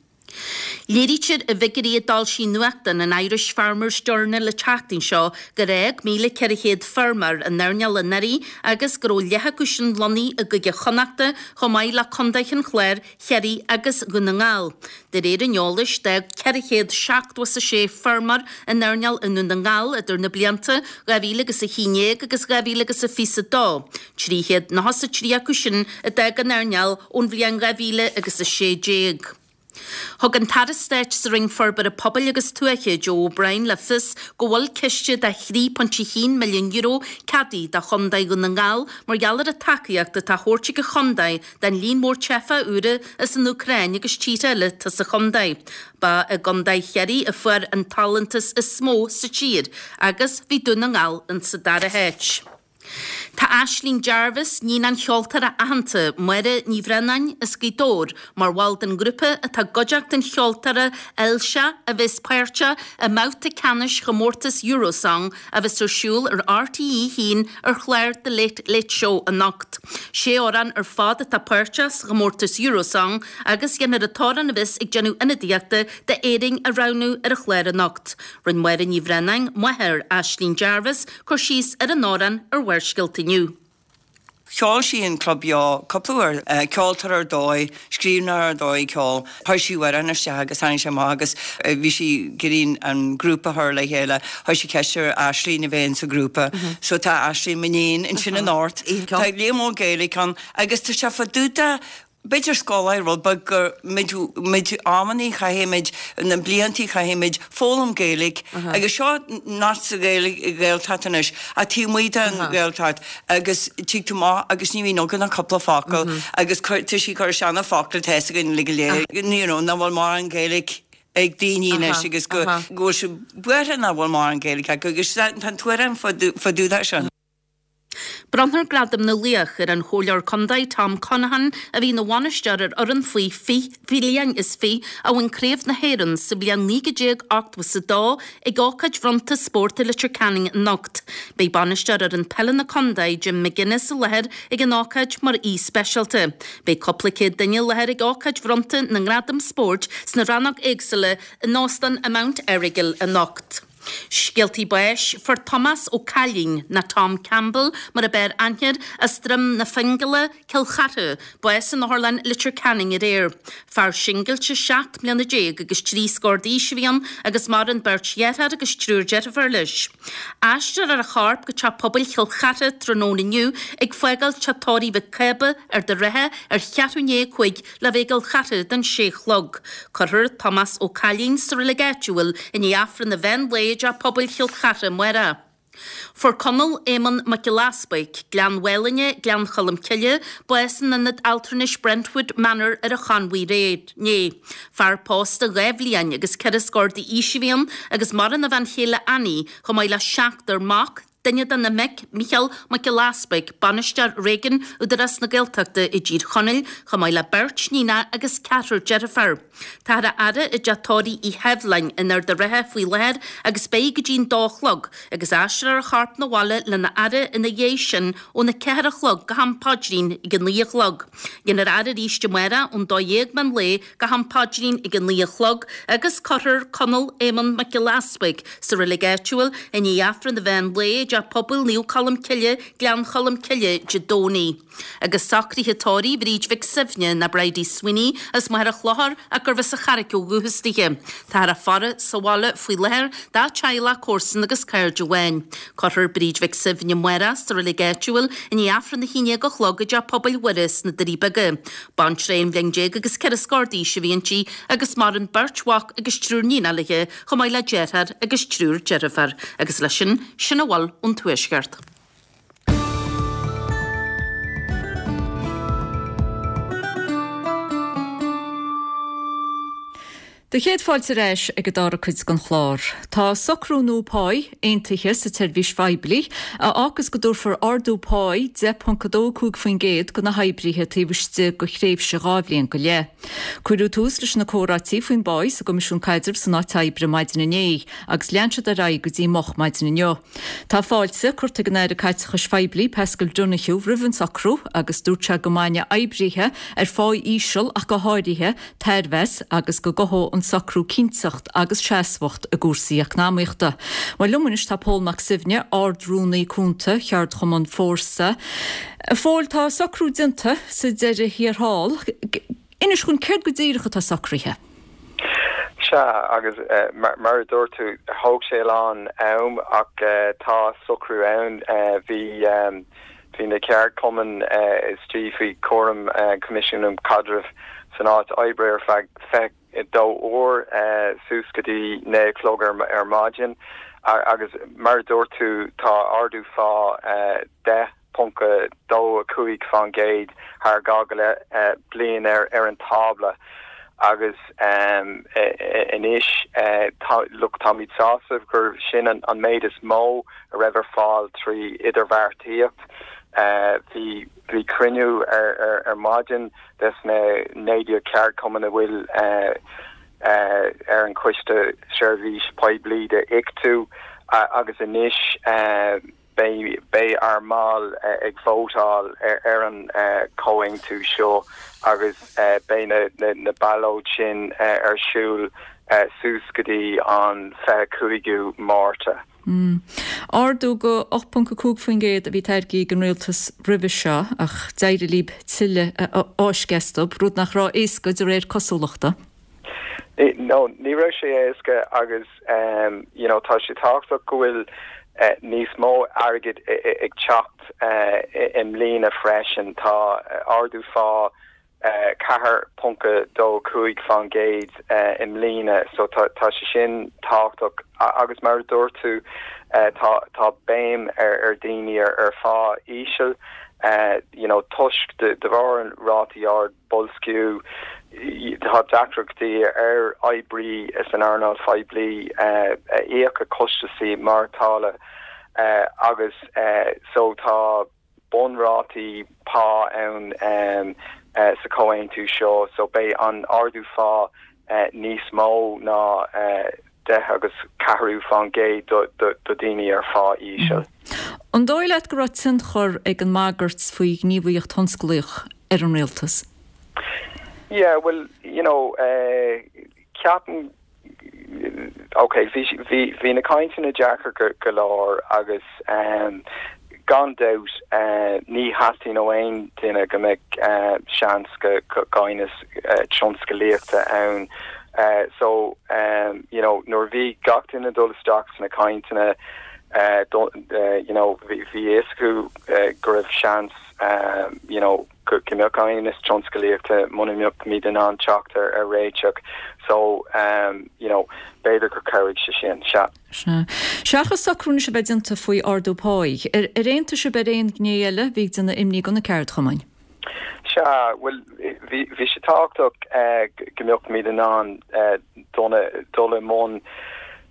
K: Léirítear i bhfigiúirí a d'fhoilsigh nuachtán an Irish Farmers Journal an tseachtain seo gur fhág míle ceithre chéad feirmeoir an earnáil anuraidh agus go raibh leath acu sin lonnaithe i gCúige Chonnachta chomh maith le Contaetha an Chláir, Chiarraí agus Dhún na nGall. De réir an eolais, d'fhág ceithre chéad seachtó is a sé feirmeoir an earnáil i nDún na nGall idir na blianta dhá mhíle agus a haon déag agus dhá mhíle agus a fiche a dó, trí chéad nócha is a trí acu sin a d'fhág an earnáil ón bhliain dhá mhíle agus a sé déag. Thug an tAire Stáit sa Roinn Forbartha Pobail agus Tuaithe, Joe O'Brien, le fios go bhfuil ciste de thrí phointe a haon milliún euro ceadaithe do Chontae Dhún na nGall mar gheall ar an tacaíocht atá á thabhairt ag an chontae don líon mór teifeach úra as an Úcráin agus tíortha eile atá sa chontae. Ba i gContae Chiarraí a fuair an t-allúntas is mó sa tír agus bhí Dún na nGall insa dara háit. Tá Aisling Jarvis, níon an cheoltóra aitheanta Máire Ní Bhraonáin as Gaoth Dobhair, mar bhall den ghrúpa atá i gcuideachta an cheoltóra Elsa a bheas páirteach i mbabhta ceannais chomórtas Eurosong a bheas ar siúl ar RTÉ a haon ar chlár The Late Late Show anocht. Sé amhrán ar fad atá páirteach sa chomórtas Eurosong agus déanfar an t-amhrán a bheas ag déanamh ionadaíochta d'Éirinn a roghnú ar an chlár anocht. Rinne Máire Ní Bhraonáin, máthair Aisling Jarvis, cur síos ar an amhrán ar Bharrscéalta inniu.
N: Cheol sí in Club Beo cúpla uair, ceoltóir ar dóigh, scríbhneoir ar dóigh ceoil. Chuir sí amhrán isteach agus tháinig sé amach agus bhí sí ag iarraidh an grúpa a chur le chéile. Chuir sí ceist ar Aisling a bheith insa ghrúpa. So tá Aisling, m'iníon, ansin anocht. Tá Liam Óg Gaeilge ann agus tá sé fá dtaobh de B'fhéidir scoláire rud beag gur muid muid amannaí chaithfimid na bliantaí chaithfimid foghlaim Gaeilge agus seo not sa Ghaeilge Ghaeltacht anois ach taobh amuigh den Ghaeltacht agus tig tú amach agus ní bhíonn againn ach cúpla focal agus tá sí cur isteach na focla atá againn le go léir you know nach bhfuil mórán Gaeilge ag daoine anois agus go go bhfuil siad buartha nach bhfuil mórán Gaeilge acu agus tá an tuairim fá dtaobh de sin.
K: Bronnfar Gradam na Laoch ar an Chomhairleoir Contae Tom Conaghan a bhí ina bhainisteoir ar fhoireann faoi fiche bliain is fiche a bhain Craobh na hÉireann sa bhliain naoi déag ochtó is a dó ag ócáid bhronnta spóirt i Leitir Ceanainn anocht. Beidh bainisteoir fhoireann peile na contae Jim McGuinness i láthair ag an ócáid mar aoi speisialta. Beidh cúpla céad duine i láthair ag ócáid bhronnta na ngradam spóirt sna rannóga éagsúla in Óstán an Mount Errigal anocht. Scéaltaí báis fuair Tomás Ó Cailín ná Tom Campbell mar ab fhearr aithne air as Droim na Fingeala, Cill Chartha, bás in Otharlann Leitir Ceanainn aréir. Fear singilte seacht mbliana déag agus trí scór d'aois a bhí ann agus maireann beirt dheartháir agus triúr deirfiúr leis. Aistreofar a chorp go Teach Pobail Chill Chartha tráthnóna inniu ag fágáil Teach Tórraimh Mhic Cába, Ard an Rátha ar cheathrú i ndiaidh a cúig le bheith i gCill Chartha don sé a chlog. Cuirfear Tomás Ó Cailín sa reilig áitiúil i ndiaidh Aifreann an mheán lae i dTeach Pobail Chill Chartha amárach. Fuair Conall Éamonn Mac Giolla Easpaig, Gleann Mhálainne, Gleann Cholm Cille, bás in Ionad Altranais Brentwood Manor ar an Chonmhaigh aréir. Fear pósta dhá bhliain agus ceithre scór d'aois a bhí ann agus maireann a bhean chéile Annie chomh maith le seachtar mac, duine de na mic, Mícheál Mac Giolla Easpaig, bainisteoir réigiúin Údarás na Gaeltachta i dTír Chonaill, chomh maith le beirt níonacha agus ceathrar deirfiúr. Táthar á fhaire i dteach tórraimh Uí Sheibhleáin in Ard an Rátha faoi láthair agus beidh go dtí'n dó a chlog agus aistreofar a chorp 'na bhaile lena fhaire ina dhiaidh sin óna ceathair a chlog go ham paidrín ag a naoi a chlog. Déanfar a fhaire arís amárach ón dó dhéag meán lae go ham paidrín ag a naoi a chlog agus cuirfear Conall Éamonn Mac Giolla Easpaig sa reilig áitiúil i ndiaidh Aifreann an mheán lae i dTeach Pobail Naomh Colm Cille, Gleann Cholm Cille, Dé Domhnaigh. Agus socruithe tórraimh Bhríd Mhic Suibhne ná Bridie Sweeney as Machaire Chlochair ach gurbh as an Charraic ó dhúchas dithe. Táthar á faire sa bhaile faoi láthair dá teaghlach, comharsan agus cairde amháin. Cuirfear Bríd Mhic Suibhne amárach sa reilig áitiúil i ndiaidh Aifreann a haon déag a chlog i dTeach Pobail Mhuire sna Doirí Beaga. Baintreach aon bhliain déag agus ceithre scór d'aois a bhí inti agus maireann beirt mhac agus triúr níonacha léi chomh maith le deartháir agus triúr deirfiúr. Agus leis sin, sin a bhfuil ón Tuaisceart.
A: Do chéad fáilte ar ais ag an dara cuid den chlár. Tá socrú nua páí aontaithe sa tseirbhís phoiblí a fhágas go dtabharfar ardú páí deich ponc a dó cúig faoin gcéad do na hoibrithe taobh istigh de thréimhse dhá bhliain go leith. Cuireadh tús leis na comhráití faoin bpá sa gCoimisiún Caidrimh san Áit Oibre maidin inné agus lean siad ar aghaidh go dtí moch maidin inniu. Tá fáilte curtha ag an Aire Caiteachais Phoiblí Paschal Donohoe roimh an socrú agus dúirt sé go mbainfidh oibrithe ar phá íseal ach go háirithe tairbhe as agus go gcothódh an socrú cinnteacht agus seasmhacht i gcúrsaí eacnamaíochta. Bhuel liom anois tá Pól Mac Suibhne, Ard-Rúnaí Cúnta Cheardchumann Fórsa. A Phóil, tá socrú déanta sa deireadh thiar thall. Inis dúinn céard go díreach atá socraithe?
O: Sea, agus mar a dúirt tú, thóg sé a lán am ach tá socrú ann. Bhí bhí na ceardchumainn istigh faoi chúram Coimisiún um Chaidreamh san Áit Oibre ar feadh fiche a dó uair suas go dtí naoi a chlog ar maidin agus mar a dúirt tú tá ardú phá deich ponc a dó a cúig faoin gcéad thar dhá go leith bliain ar ar an tábla agus anois tá look táimid sásta gur sin an an méid is mó a raibh ar fáil trí idirbheartaíocht. Bhí bhí cruinniú ar ar ar maidin des na naoi déag ceardchumann a bhfuil ar an Choiste Seirbhís Poiblí de Ictu agus anois beidh beidh ár mbaill ag vótáil ar ar an comhaontú seo agus beidh na na na ballóid sin ar siúl suas go dtí an fiche cúigiú Márta.
A: Ardú go ocht ponc a cúig faoin gcéad a bhí tairgthe ag an rialtas roimhe seo ach d'éirigh libh tuilleadh a fháisceadh astu, rud nach raibh éasca de réir cosúlachta.
O: No, ní raibh sé éasca agus you know tá sé tábhachtach go bhfuil níos mó airgid ag teacht i mbliana freisin. Tá ardú phá ceathair ponc dó cúig faoin gcéad i mbliana so tá tá sé sin tábhachtach agus mar a dúirt tú tá tá béim ar ar daoine ar ar phá íseal you know toisc de de bharr an rátaí ard boilsciú tá deacrachtaí ar oibrí san earnáil phoiblí íoc a costaisí maireachtála agus so tá bunrátaí pá ann um, uh, sa comhaontú seo so beidh an ardú phá uh, níos mó ná uh, deich agus ceathrú faoin gcéad do, do, do daoine ar phá íseal.
A: An dóigh leat go raibh tionchar ag an mbagairt faoi ghníomhaíocht thionsclaíoch ar an rialtas?
O: Yeah, well, you know, uh, ceapaim okay, bhí bhí bhí na cainteanna deacair go, go leor agus um, gan dabht uh, ní theastaíonn ó aon duine go mbeadh uh, seans go, go aighneas uh, tionsclaíochta ann. Uh, so um, you know, nuair bhí gach duine dul isteach sna cainteanna uh, uh, you know, bhí a fhios acu uh, go raibh seans um, you know, go mbeadh aighneas tionsclaíochta muna mbeadh in ann teacht ar ar réiteach. So um, you know, b'fhéidir gur chabhraigh sé sin sea.
A: Seachas socrú anois a bheith déanta faoi ardú páí, ar ar aontaigh sibh ar aon ghné eile bhí déanamh imní do na ceardchumainn.
O: Sea, well bhí bhí sé tábhachtach uh, go mbeadh muid in ann uh, dul i mbun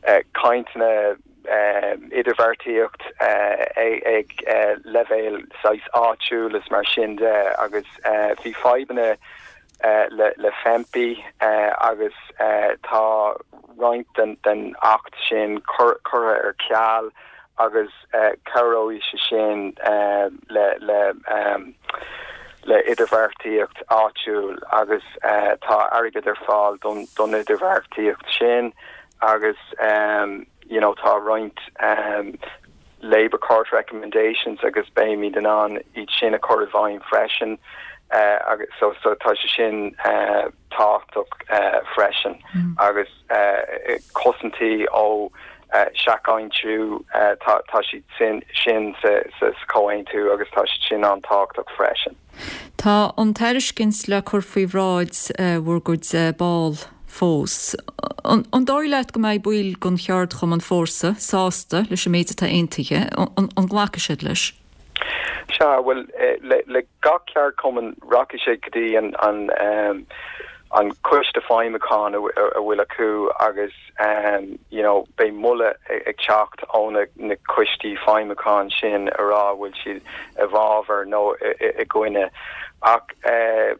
O: uh, cainteanna uh, idirbheartaíocht uh, ag, ag uh, leibhéal saghas áitiúil is mar sin de agus uh, bhí fadhbanna uh, le, le FEMPI uh, agus uh, tá roinnt den, den acht sin cur, curtha ar ceal agus uh, cabhróidh sé sin uh, le, le um, le idirbheartaíocht áitiúil agus uh, tá airgead ar fáil don, don idirbheartaíocht sin agus um, you know, tá roinnt um, Labour Court recommendations agus beimid in ann iad sin a chur i bhfeidhm freisin uh, agus so, so tá sé sin uh, tábhachtach uh, freisin mm. agus uh, cosaintí ó uh, seach-aimsiú uh, tá, tá siad sin sin sa, sa, sa comhaontú agus tá siad sin an-tábhachtach freisin.
A: Tá an tairiscint le cur faoi bhráid uh, bhur gcuid uh, ball fós. An, an dóigh leat go mbeidh baill den cheardchumann Fórsa sásta leis an méid atá aontaithe, an, an nglacfaidh siad leis?
O: Sea, well eh, le, le gach ceardchumann rachaidh sé go dtí an an um, an coiste feidhmiúcháin a a bhfuil acu agus um, you know, beidh moladh ag teacht ó na, na coistí feidhmiúcháin sin a rá bhfuil siad i bhfabhar nó i gcoinne ach uh,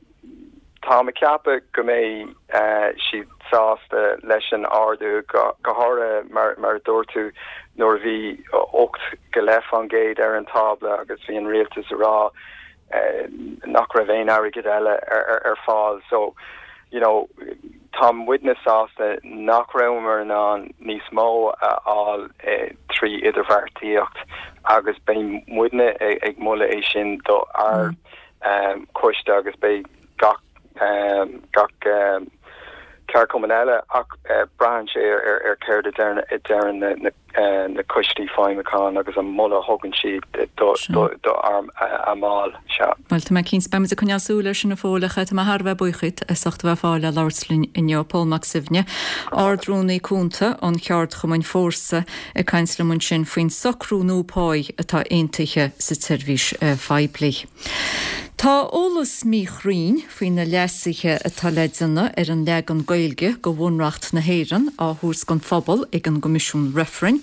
O: tá mé ag ceapadh go mbeidh uh, siad sásta leis an ardú go, go háirithe mar, mar dúirt tú nuair bhí ocht go leith faoin gcéad ar an tábla agus bhí an rialtas a rá uh, nach raibh aon airgead eile ar, ar, ar fáil so you know tá muidne sásta nach rabhamar in ann níos mó a fháil eh, trí idirbheartaíocht agus beidh muidne ag, ag moladh é sin do ár mm. um, coiste agus beidh gach um, gach um, ceardchumann eile ach uh, braitheann sé ar ar, ar céard a deireann na, na, uh, na coistí feidhmiúcháin agus an moladh a thugann siad do, do, do ár a mbaill sea.
A: Well tá mé cinnte beimid ag coinneáil súil air sin a Phóil ach tá mé thar a bheith buíoch díot as ucht a bheith fáil le labhairt linn inniu Pól Mac Suibhne, Ard-Rúnaí Cúnta an cheardchumainn Fórsa ag caint liom ansin faoin socrú nua páí atá aontaithe sa tseirbhís uh, phoiblí. Tá eolas míchruinn faoi na leasuithe atá le déanamh ar an leagan Gaeilge de Bhunreacht na hÉireann á thabhairt don phobal ag an gCoimisiún Reifrinn.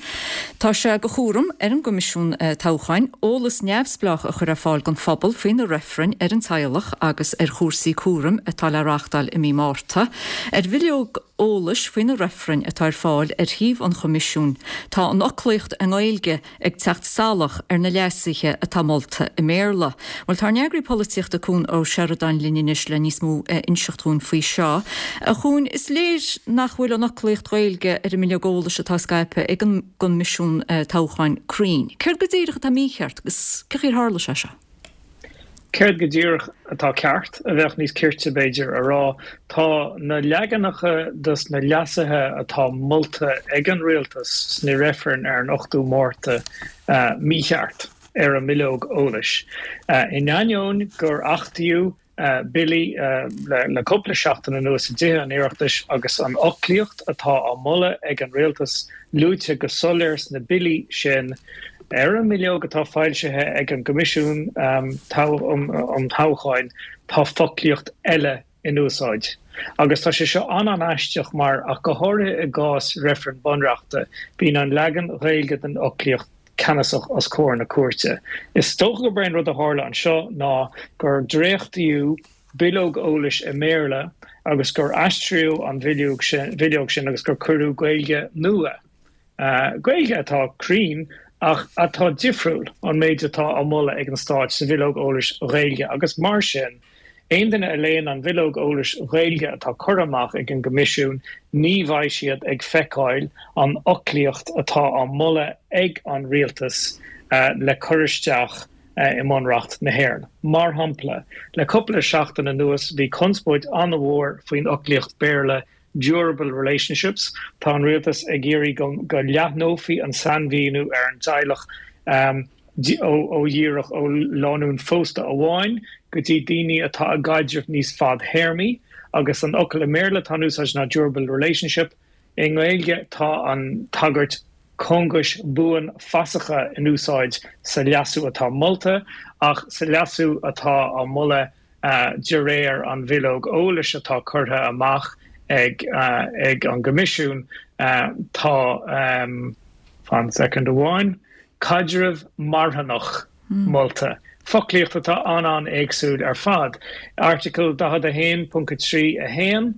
A: Tá sé de chúram ar an gCoimisiún uh, Toghcháin eolas neamhspleách a chur ar fáil don phobal faoi na reifrinn ar an teaghlach agus ar chúrsaí cúraim atá le reáchtáil i mí Márta. Ar bhileog eolais faoi na reifrinn atá ar fáil ar shuíomh an Choimisiúin. Tá an fhoclaíocht i nGaeilge ag teacht salach ar na leasuithe atá molta i mBéarla. Well tá eagraí polaitíochta Cuan Ó Seireadáin linn anois le níos mó a inseacht dúinn faoi seo. A Chuain is léir nach bhfuil an fhoclaíocht Ghaeilge ar an mbileog eolais atá scaipthe ag an gCoimisiún uh, Toghcháin cruinn. Céard go díreach atá mícheart agus cén chaoi ar tharla sé seo?
P: Céard go díreach atá ceart a bheadh níos cirte b'fhéidir a rá tá na leaganacha dos na leasuithe atá molta ag an rialtas sna reifrinn ar an ochtú Márta uh, mícheart ar an mbileog eolais. Uh, in ainneoin gur achtaíodh billí le cúpla seachtain anuas i dTithe an Oireachtais agus an fhoclaíocht atá á moladh ag an rialtas luaite go soiléir sna billí sin. Ar an mbileog atá foilsithe ag an gCoimisiún um Toghcháin tá foclaíocht eile in úsáid. Agus tá sé seo an-an-aisteach mar, ach go háirithe i gcás reifreann bunreachta, bíonn an leagan Ghaeilge den fhoclaíocht ceannasach os comhair na cúirte. Is dócha gurb é an rud a tharla anseo ná gur dréachtaíodh bileog eolais i mBéarla agus gur aistríodh an bhileog sin agus gur cuireadh Gaeilge nua, Gaeilge atá cruinn ach atá difriúil ón méid atá á moladh ag an Stát sa bhileog eolais Ghaeilge agus mar sin, Aon duine a léann an bhileog eolais Ghaeilge atá curtha amach ag an gCoimisiún, ní bheidh siad ag feiceáil an fhoclaíocht atá á moladh ag an Rialtas le cur isteach i mBunreacht na hÉireann. Mar shampla, le cúpla seachtain anuas bhí conspóid an-mhór faoin fhoclaíocht Béarla durable relationships. Tá an Rialtas ag iarraidh go leathnófaí an sainmhíniú ar an dteaghlach ó dhíreach ó lánúin phósta amháin go dtí daoine atá i gcaidreamh níos fadthéarmaí agus an fhocal i mBéarla atá in úsáid ná durable relationship. I nGaeilge tá an tagairt cóngais buanfasacha in úsáid sa leasú atá molta ach sa leasú atá á moladh de réir an bhileog eolais atá curtha amach ag ag an gCoimisiún tá, fan soicind amháin, caidreamh marthanach molta. Foclaíocht atá an-an-éagsúil ar fad. Airteagal daichead a haon ponc a trí a haon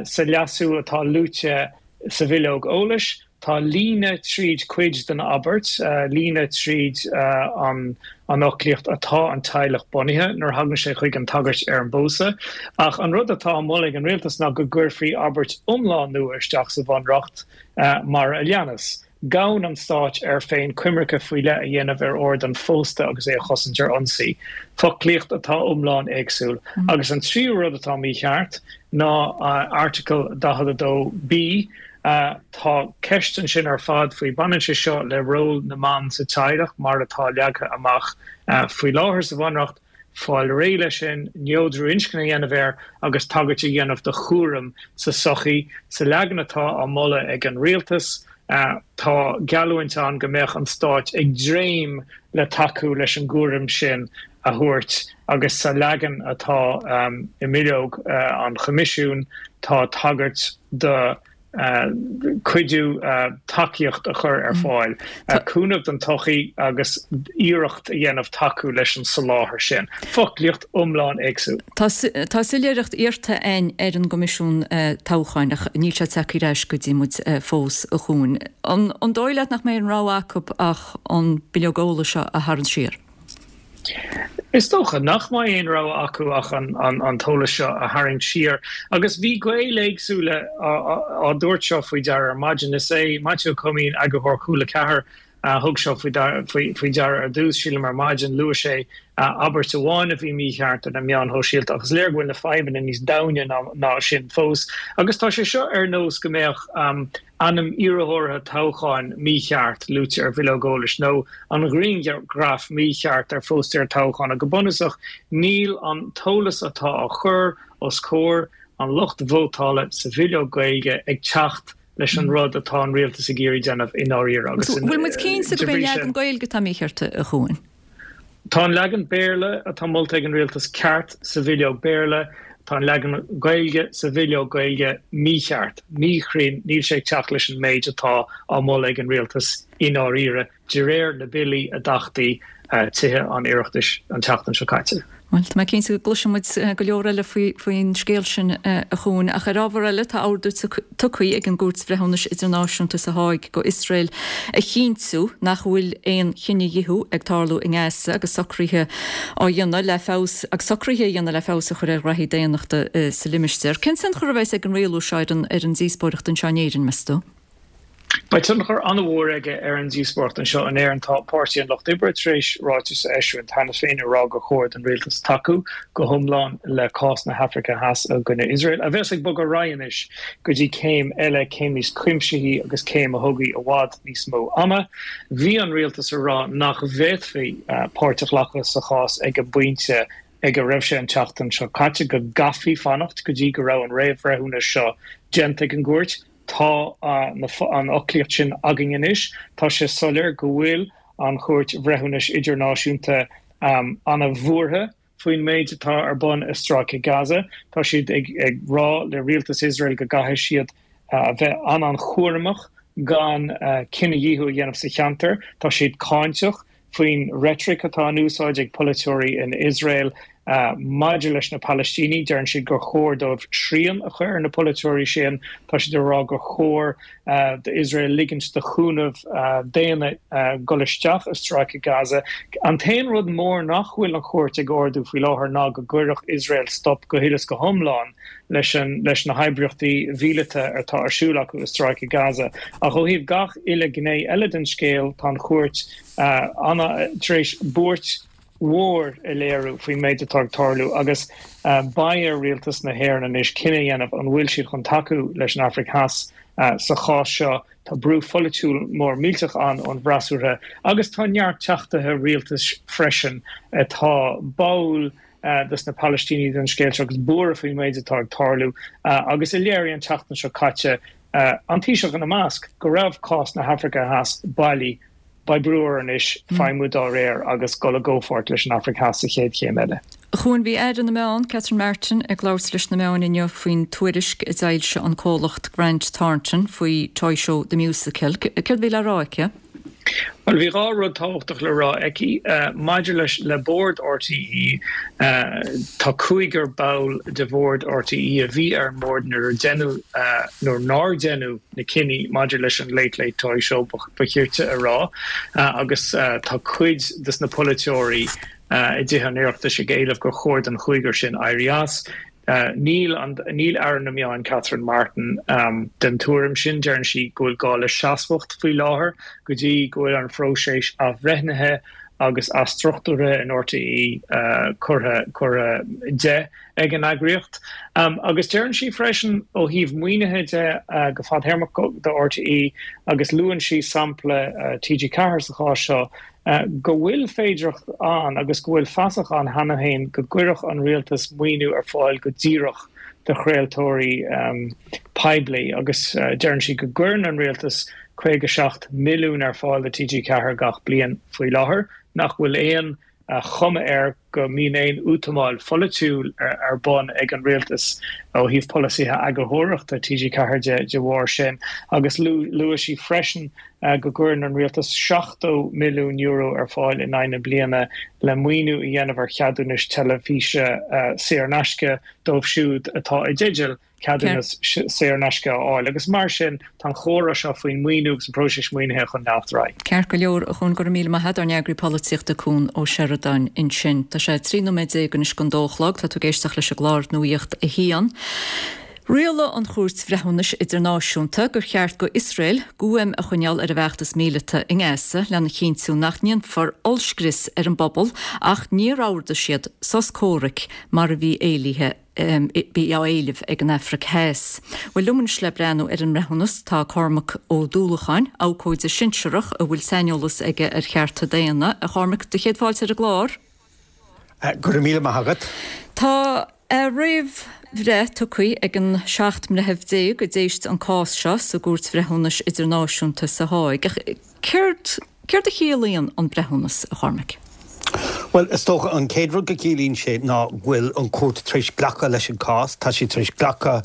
P: sa leasú atá luaite sa bhileog eolais, tá líne tríd cuid den abairt, líne tríd an fhoclaíocht atá an teaghlach bunaithe nuair a thagann sé chuig an tagairt ar an bpósadh. Ach an rud atá á mholadh ag an rialtas ná go gcuirfí abairt iomlán nua isteach sa Bhunreacht mar a leanas. Gabhann an Stát air féin coimirce faoi leith a dhéanamh ar ord an phósta agus é a chosaint ar ionsaí. Foclaíocht atá iomlán éagsúil. Agus an tríú rud atá mícheart ná Airteagal daichead a dó B. Tá ceist ansin ar fad faoi, baineann sé seo le ról na mban sa teaghlach mar atá leagtha amach faoi láthair sa Bhunreacht, fáil réidh leis sin, neodrú inscne a dhéanamh air agus tagairt a dhéanamh do chúram sa tsochaí. Sa leagan atá á moladh ag an rialtas, tá geallúint ann go mbeadh an Stát ag dréim le tacú leis an gcúram sin a thabhairt agus sa leagan atá i mbileog an Choimisiúin tá tagairt do cuidiú tacaíocht a chur ar fáil, cúnamh don tsochaí agus iarracht a dhéanamh tacú leis an soláthar sin. Foclaíocht iomlán éagsúil.
A: Tá soiléireacht iarrta againn ar an gCoimisiún Toghcháin ach níl sé tagtha ar ais go dtí muid fós, a Chuain. An dóigh leat nach mbeidh aon rogha acu ach an bileog eolais seo a tharraingt siar?
P: Is dócha nach mbeidh aon rogha acu ach an t-eolas seo a tharraingt siar. Agus bhí Gaeil éagsúla á dtabhairt seo faoi deara ar maidin. Is é Maitiú Ó Coimín, eagarthóir Cúla Ceathair, a thug seo faoi deara ar dtús, sílim, ar maidin. Luaigh sé abairt amháin a bhí mícheart ar na meáin shóisialta ach is léir go bhfuil na fadhbanna níos domhaine ná sin fós. Agus tá sé seo ar nós go mbeadh ainm iarrthóra toghcháin mícheart luaite ar bhileog eolais nó an ghrianghraf mícheart ar phóstaer toghcháin. Go bunúsach, níl an t-eolas atá á chur os comhair an lucht vótála sa bhileog Gaeilge ag teacht leis an rud atá an rialtas ag iarraidh déanamh i ndáiríre agus
A: Bhfuil muid cinnte gurb é an leagan Gaeilge atá mícheart, a Chuain?
P: Tá an leagan Béarla atá molta ag an rialtas ceart sa bhileog Béarla, tá an leagan Gaeilge sa bhileog Gaeilge mícheart, míchruinn, níl sé ag teacht leis an méid atá á moladh ag an rialtas i ndáiríre, de réir na billí a d'achtaigh Tithe an Oireachtais an tseachtain seo caite.
A: Bhuel, tá mé cinnte go gcloisfidh muid go leor eile faoin scéal sin, a Chuain. Ach ar ábhar eile, tá ordú tugtha ag an gCúirt Bhreithiúnais Idirnáisiúnta sa Háig go Iosrael a chinntiú nach bhfuil aon chinedhíothú ag tarlú i nGaza agus socruithe á dhéanamh le feabhas agus socruithe a dhéanamh le feabhas a chur ar ghraithí daonnachta sa limistéar. Cén tionchar a bheas ag an rialú seo ar an díospóireacht anseo in Éirinn, meas tú?
P: Beidh tionchar an-mhór aige ar an díospóireacht anseo in Éirinn. Tá Páirtí an Lucht Oibre tar éis ráiteas a eisiúint cheana féin ag rá gur chóir don rialtas tacú go hiomlán le cás na hAfraice Theas i gcoinne Iosrael, a bheas ag bogadh ar aghaidh anois go dtí céim eile, céim níos cuimsithí agus céim a thógfaidh i bhfad níos mó ama. Bhí an rialtas ag rá nach bhféadfaí páirt a ghlacadh sa chás ag an bpointe ag a raibh sé an tseachtain seo caite, go gcaithfí fanacht go dtí go raibh an réamhbhreithiúnas seo déanta ag an gcúirt. Tá an fhoclaíocht sin againn anois. Tá sé soiléir go bhfuil an Chúirt Bhreithiúnais Idirnáisiúnta an-bhuartha faoin méid atá ar bun i Stráice Gaza. Tá siad ag rá le rialtas Iosrael go gcaithfidh siad a bheith an-an-chúramach gan cinedhíothú a dhéanamh sa cheantar. Tá siad cáinteach faoin reitric atá in úsáid ag polaiteoirí in Iosrael maidir leis na Palaistínigh. Deireann siad gur chóir dóibh srian a chur ar na polaiteoirí sin. Tá siad ag rá gur chóir d'Iosrael ligint do chúnamh daonna dul isteach i Stráice Gaza. An t-aon rud mór nach bhfuil an chúirt ag ordú faoi láthair ná go gcuirfeadh Iosrael stop go huile is go hiomlán leis leis na hoibríochtaí mhíleata atá ar siúl acu i Stráice Gaza. Ach ó thaobh gach uile gné eile den scéal, tá an chúirt tar éis buairt mhór a léiriú faoin méid atá ag tarlú agus beidh ar rialtas na hÉireann anois cinneadh a dhéanamh an bhfuil siad chun tacú leis an Afraic Theas sa chás seo. Tá brú pholaitiúil mór millteach ann ón bhfreasúra agus tá neart teachtaithe rialtais freisin atá báúil dos na Palaistínigh don scéal seo agus buartha faoin méid atá ag tarlú agus a léirigh an tseachtain seo caite, an Taoiseach ina measc, go raibh cás na hAfraice Theas bailí. Beidh brú orainn anois feidhmiú dá réir agus dul i gcomhpháirt leis an Afraic Theas sa chéad chéim eile.
A: A Chuain, bhí Aire na Meán, Catherine Martin, ag labhairt leis na meáin inniu faoin tuairisc a d'fhoilsigh an comhlacht Grant Thornton faoi Toy Show The Musical. Céard a bhí le rá aici?
P: Bhuel, bhí dhá rud tábhachtach le rá aici. Maidir leis le bord RTÉ, tá cúigear ball de bhord RTÉ a bhí ar an mbord nuair a deineadh, nuair nár deineadh na cinní maidir leis an Late Late Toy Show, ba chirte a rá, agus tá cuid de na polaiteoirí i dTithe an Oireachtais ag éileamh gur chóir don chúigear sin éirí as. Níl níl Aire na Meán Catherine Martin den tuairim sin. Deireann sí go bhfuil gá le seasmhacht faoi láthair go dtí go bhfuil an phróiseas athbhreithnithe agus athstruchtúraithe in RTÉ curtha curtha de ag an eagraíocht. Agus deireann sí freisin ó thaobh maoinithe de go fadtéarmach do RTÉ agus luann sí sampla T G ceathair sa chás seo, go bhfuil féidearthacht ann agus go bhfuil fasach ann cheana féin go gcuirfeadh an rialtas maoiniú ar fáil go díreach do chraoltóirí poiblí agus deireann sí go gcuireann an rialtas caoga seacht milliún ar fáil do T G ceathair gach bliain faoi láthair, nach bhfuil aon chuma air go mbíonn aon útamáil pholaitiúil ar bun ag an rialtas ó thaobh polasaithe eagarthóireachta T G ceathair de de bharr sin agus luaigh sí freisin go gcuireann an rialtas seachtó milliún euro ar fáil in aghaidh na bliana le maoiniú a dhéanamh ar cheadúnais teilifíse saor in aisce dóibh siúd atá i dteideal ceadúnas saor in aisce a fháil agus mar sin tá an chomhrá seo faoin maoiniú agus an próiseas maoinithe chun leanacht ar aghaidh.
A: Ceart go leor, a Chuain, go raibh míle maith agat, ár n-eagraí polaitíochta Cuan Ó Seireadáin ansin. Tá sé trí nóiméad déag anois don dó a chlog, tá tú ag éisteacht leis an gclár Nuacht a hAon. Rialaigh an Chúirt Bhreithiúnais Idirnáisiúnta gur cheart go Iosrael guaim a choinneáil ar a bhfeachtas míleata i nGaza lena chinntiú nach ndéanfar ollscrios ar an bpobal ach níor ordaigh siad sos comhraic mar a bhí éilithe bhí á éileamh ag an Afraic Theas. Bhuel, liom anois le breathnú ar an mbreithiúnas tá Cormac Ó Dúlacháin, abhcóide sinsearach a bhfuil saineolas aige ar chearta daonna. A Chormaic, do chéad fáilte ar an gclár.
Q: Go raibh míle maith agat.
A: Tá a réamhbhreith tugtha ag an seacht mbreitheamh déag a d'éist an cás seo sa gCúirt Bhreithiúnais Idirnáisiúnta sa Háig. Ach céard céard a chiallaíonn an breithiúnas, a Chormaic?
Q: Bhuel, is dócha an chéad rud go gciallaíonn sé ná go bhfuil an chúirt tar éis glacadh leis an cás. Tá sí tar éis glacadh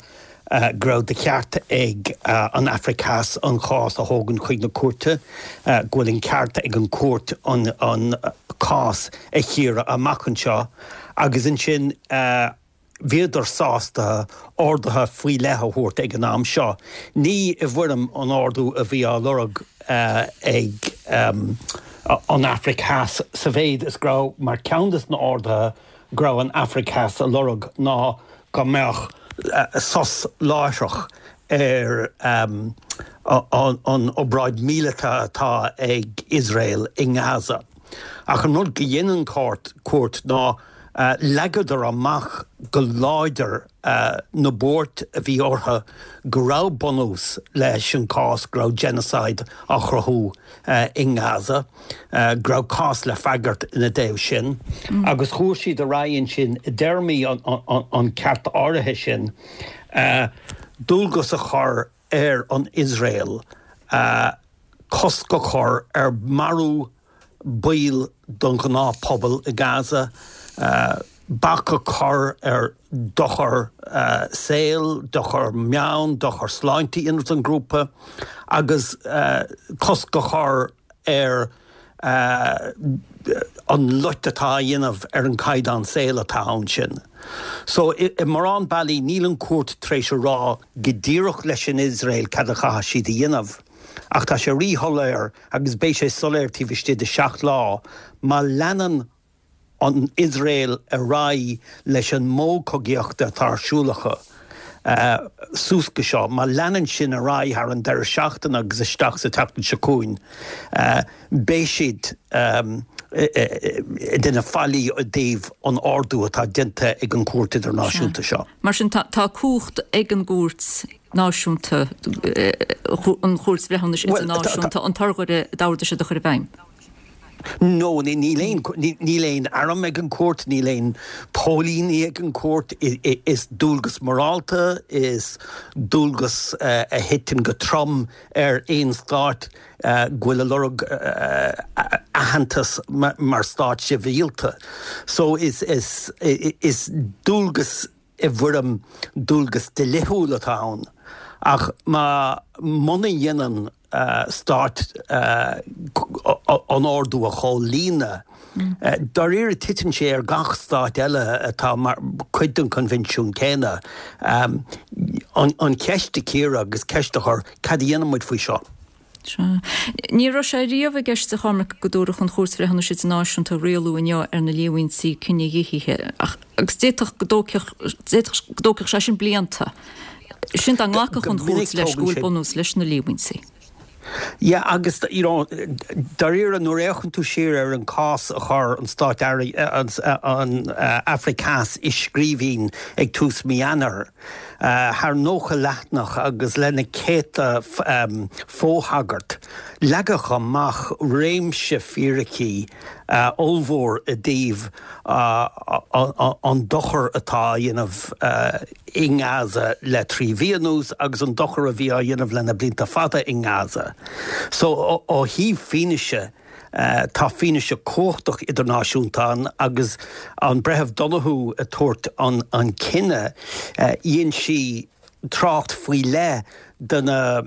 Q: go raibh de cheart ag an Afraic Theas an cás a thógaint chuig na cúirte, go bhfuil an ceart ag an chúirt an an cás a chíoradh amach anseo agus ansin bhíodar sásta orduithe faoi leith a thabhairt ag an am seo. Ní i bhfoirm an ordú a bhí á lorg ag an Afraic Theas sa mhéid is go raibh mar cheann de na orduithe go raibh an Afraic Theas a lorg ná go mbeadh sos láithreach ar an obráid míleata atá ag Iosrael i nGaza. Ach an rud go dhein an chúirt ná Leagadar amach go láidir na buairt a bhí orthu go raibh bunús leis an cás go raibh genocide á chruthú i nGaza, go raibh cás le freagairt ina dtaobh sin. Agus chuaigh siad ar aghaidh ansin i dtéarmaí an ceart áirithe sin dualgas a chur ar an Iosrael cosc a chur ar marú baill den ghnáthphobal i Gaza, bac a chur ar dochar saoil, dochar meon, dochar sláinte a dhéanamh don ghrúpa agus cosc a chur ar an loit atá á dhéanamh ar an gcaighdeán saoil atá ann sin. So i mórán bealaí níl an chúirt tar éis a rá go díreach leis an Iosrael cad a chaithfidh siad a dhéanamh. Ach tá sé ríshoiléir agus beidh sé soiléir taobh istigh de seacht lá má leanann an Iosrael ar aghaidh leis an modh cogaíochta atá ar siúl acu suas go seo, má leanann sin ar aghaidh thar an deireadh seachtaine agus isteach sa tseachtain seo chugainn, beidh siad ag déanamh faillí i dtaobh an ordú atá déanta ag an Chúirt Idirnáisiúnta seo.
A: Mar sin tá cumhacht ag an gCúirt Náisiúnta, an Chúirt Bhreithiúnais Idirnáisiúnta, an t-urghaire a d'ordaigh siad a chur i bhfeidhm?
Q: No, níl aon, níl aon arm ag an gcúirt, níl aon póilíní ag an gcúirt, is dualgas morálta, is dualgas a thiteann go trom ar aon stát go bhfuil ag lorg aitheantas mar stát sibhialta. So is, is, is dualgas i bhfoirm dualgas dlíthiúil atá ann. Ach má, muna dhéanann stát an ordú a chomhlíonadh, dáiríre titeann sé ar gach stát eile atá mar chuid den choinbhinsiún céanna an cheist a chíoradh agus ceist a chur, cad a dhéanann muid faoi seo?
A: Sea. Ní raibh sé riamh i gceist, a Chormaic, go dtabharfadh an Chúirt Bhreithiúnais Idirnáisiúnta rialú inniu ar na líomhaintí cinedhíothaithe, ach agus d'fhéadfadh go dtógfadh d'fhéadfadh go dtógfadh sé sin blianta. Sin dá nglacfadh an Chúirt leis go bhfuil bunús leis na líomhaintí.
Q: Yeah, agus you know, dáiríre nuair a fhéachann tú siar ar an cás a chuir an Stát an, an Afraic Theas i scríbhinn ag tús mí Eanáir, thar nócha leathanach agus le na céadta fothagairt, leagadh amach réimse fíricí ollmhór i dtaobh an dochar atá á dhéanamh i nGaza le trí mhí anuas agus an dochar a bhí á dhéanamh le na blianta fada i nGaza. So ó thaobh fianaise, tá fianaise cumhachtach idirnáisiúnta ann agus an Breitheamh Donoghue ag tabhairt an cinneadh, dhein sí trácht faoi leith do na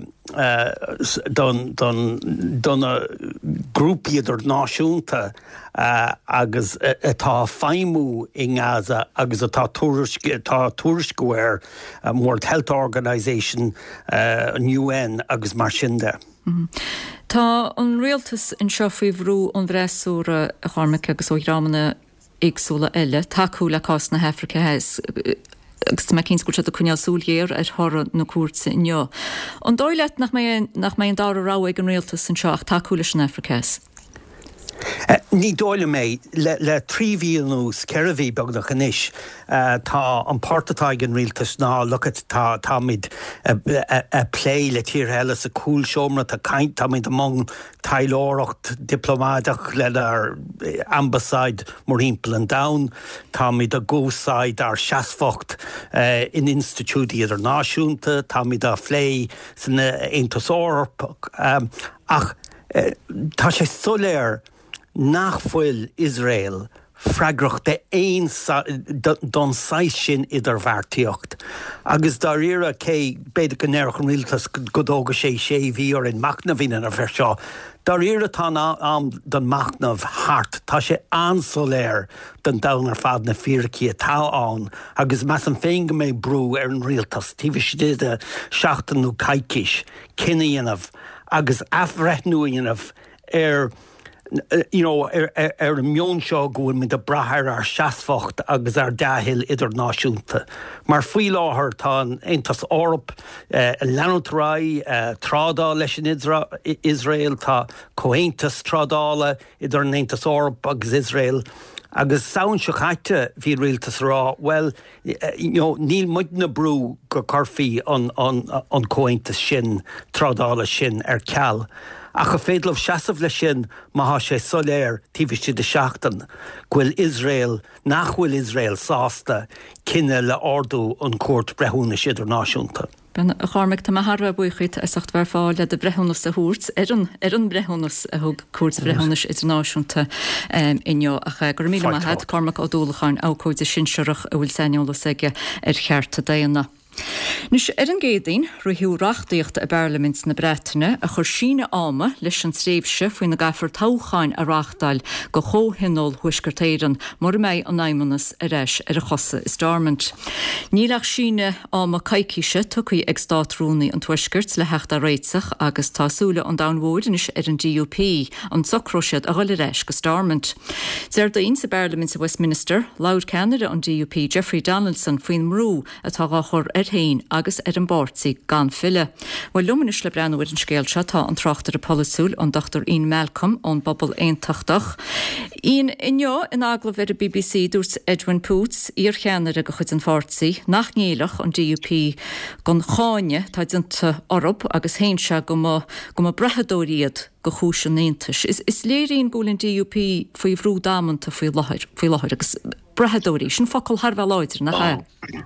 Q: do na grúpaí idirnáisiúnta agus atá ag feidhmiú i nGaza agus atá atá tuairisciú air, an World Health Organisation, an UN agus mar sin de.
A: Tá an rialtas anseo faoi bhrú ón bhfreasúra, a Chormaic, agus ó dhreamanna éagsúla eile tacú le cás na hAfraice Theas agus tá mé cinnte go bhfuil siad ag coinneáil súil ghéar ar thoradh na cúirte inniu. An dóigh leat nach mbeidh nach mbeidh an dara rogha ag an rialtas anseo ach tacú leis an Afraic Theas?
Q: Ní dóigh liom é. Le trí mhí anuas, ceithre mhí beagnach anois, tá an port atá ag an rialtas ná look it, tá táimid ag plé le tíortha eile sa chúlseomra, tá caint, táimid i mbun taidhleoireacht dioplómaideach lenár ambasáid mórthimpeall an domhain, táimid ag úsáid ár seasmhacht in institiúidí idirnáisiúnta, táimid á phlé san Aontas Eorpach. Ach tá sé soiléir nach bhfuil Iosrael freagrach d'aon don saghas sin idirbheartaíocht. Agus dáiríre, cé, b'fhéidir go ndéarfadh an rialtas go dtógfaidh sé sé mhí orainn machnamh a dhéanamh air seo, dáiríre tá an am don machnamh thart. Tá sé an-soiléir don domhan ar fad na fíricí atá ann agus measaim féin go mbeidh brú ar an rialtas taobh istigh de sheachtain nó coicís cinneadh a dhéanamh agus athbhreithniú a dhéanamh ar you know, ar, ar, ar an meon seo go bhfuil muid ag brath ar ár seasmhacht agus ár dea-thoil idirnáisiúnta. Mar faoi láthair tá an Aontas Eorpach eh, ag leanúint ar aghaidh eh, trádáil leis an Iosrael, tá comhaontas trádála idir an Aontas Eorpach agus Iosrael. Agus Samhain seo caite bhí rialtas ag rá, well, you know, níl muidne ag brú go gcuirfí an, an, an comhaontas sin trádála sin ar ceal. Ach an féidir leo seasamh leis sin má tá sé soiléir taobh istigh de sheachtain go bhfuil Iosrael nach bhfuil Iosrael sásta cinneadh le ordú an Chúirt Breithiúnais Idirnáisiúnta.
A: A Chormaic, tá mé thar a bheith buíoch díot as ucht bheith ar fáil le do bhreithiúnas a thabhairt ar an ar an mbreithiúnas a thug Cúirt Bhreithiúnais Idirnáisiúnta inniu. Ach go raibh míle maith agat, Cormac Ó Dúlacháin, abhcóide sinsearach a bhfuil saineolas aige ar chearta daonna. Anois, ar an gCéadaoin, ritheadh reachtaíocht i bParlaimint na Breataine a chuir síneadh ama leis an tréimhse faoina gcaithfear toghcháin a reáchtáil do Chomhthionól Thuaisceart Éireann mura mbeidh an Fheidhmeannas ar ais ar a chosa i Stormont. Níl ach síneadh ama coicíse tugtha ag Státrúnaí an Tuaiscirt le theacht ar réiteach agus tá súile an domhain mhóir anois ar an D U P an socróidh siad a dhul ar ais go Stormont. Déardaoin sa bParlaimint i Westminster, labhair ceannaire an D U P Jeffrey Donaldson faoin mbrú atá á chur air féin agus ar an bpáirtí gan filleadh. Bhuel, liom anois le breathnú ar an scéal seo tá an tráchtaire polaitiúil an Dochtúir Ian Malcolm ón bPobal Aontachtach. Ian, inniu in agallamh ar an B B C dúirt Edwin Poots, iarcheannaire de chuid an pháirtí, nach ngéillfeadh an D U P don cháineadh atá déanta orthu agus shéan sé go mba go mba brathadóirí iad do chúis an Aontais. Is, is léir Ian go bhfuil an D U P faoi bhrú damanta faoi láthair faoi láthair agus brathadóirí, sin focal thar a bheith láidir, nach ea?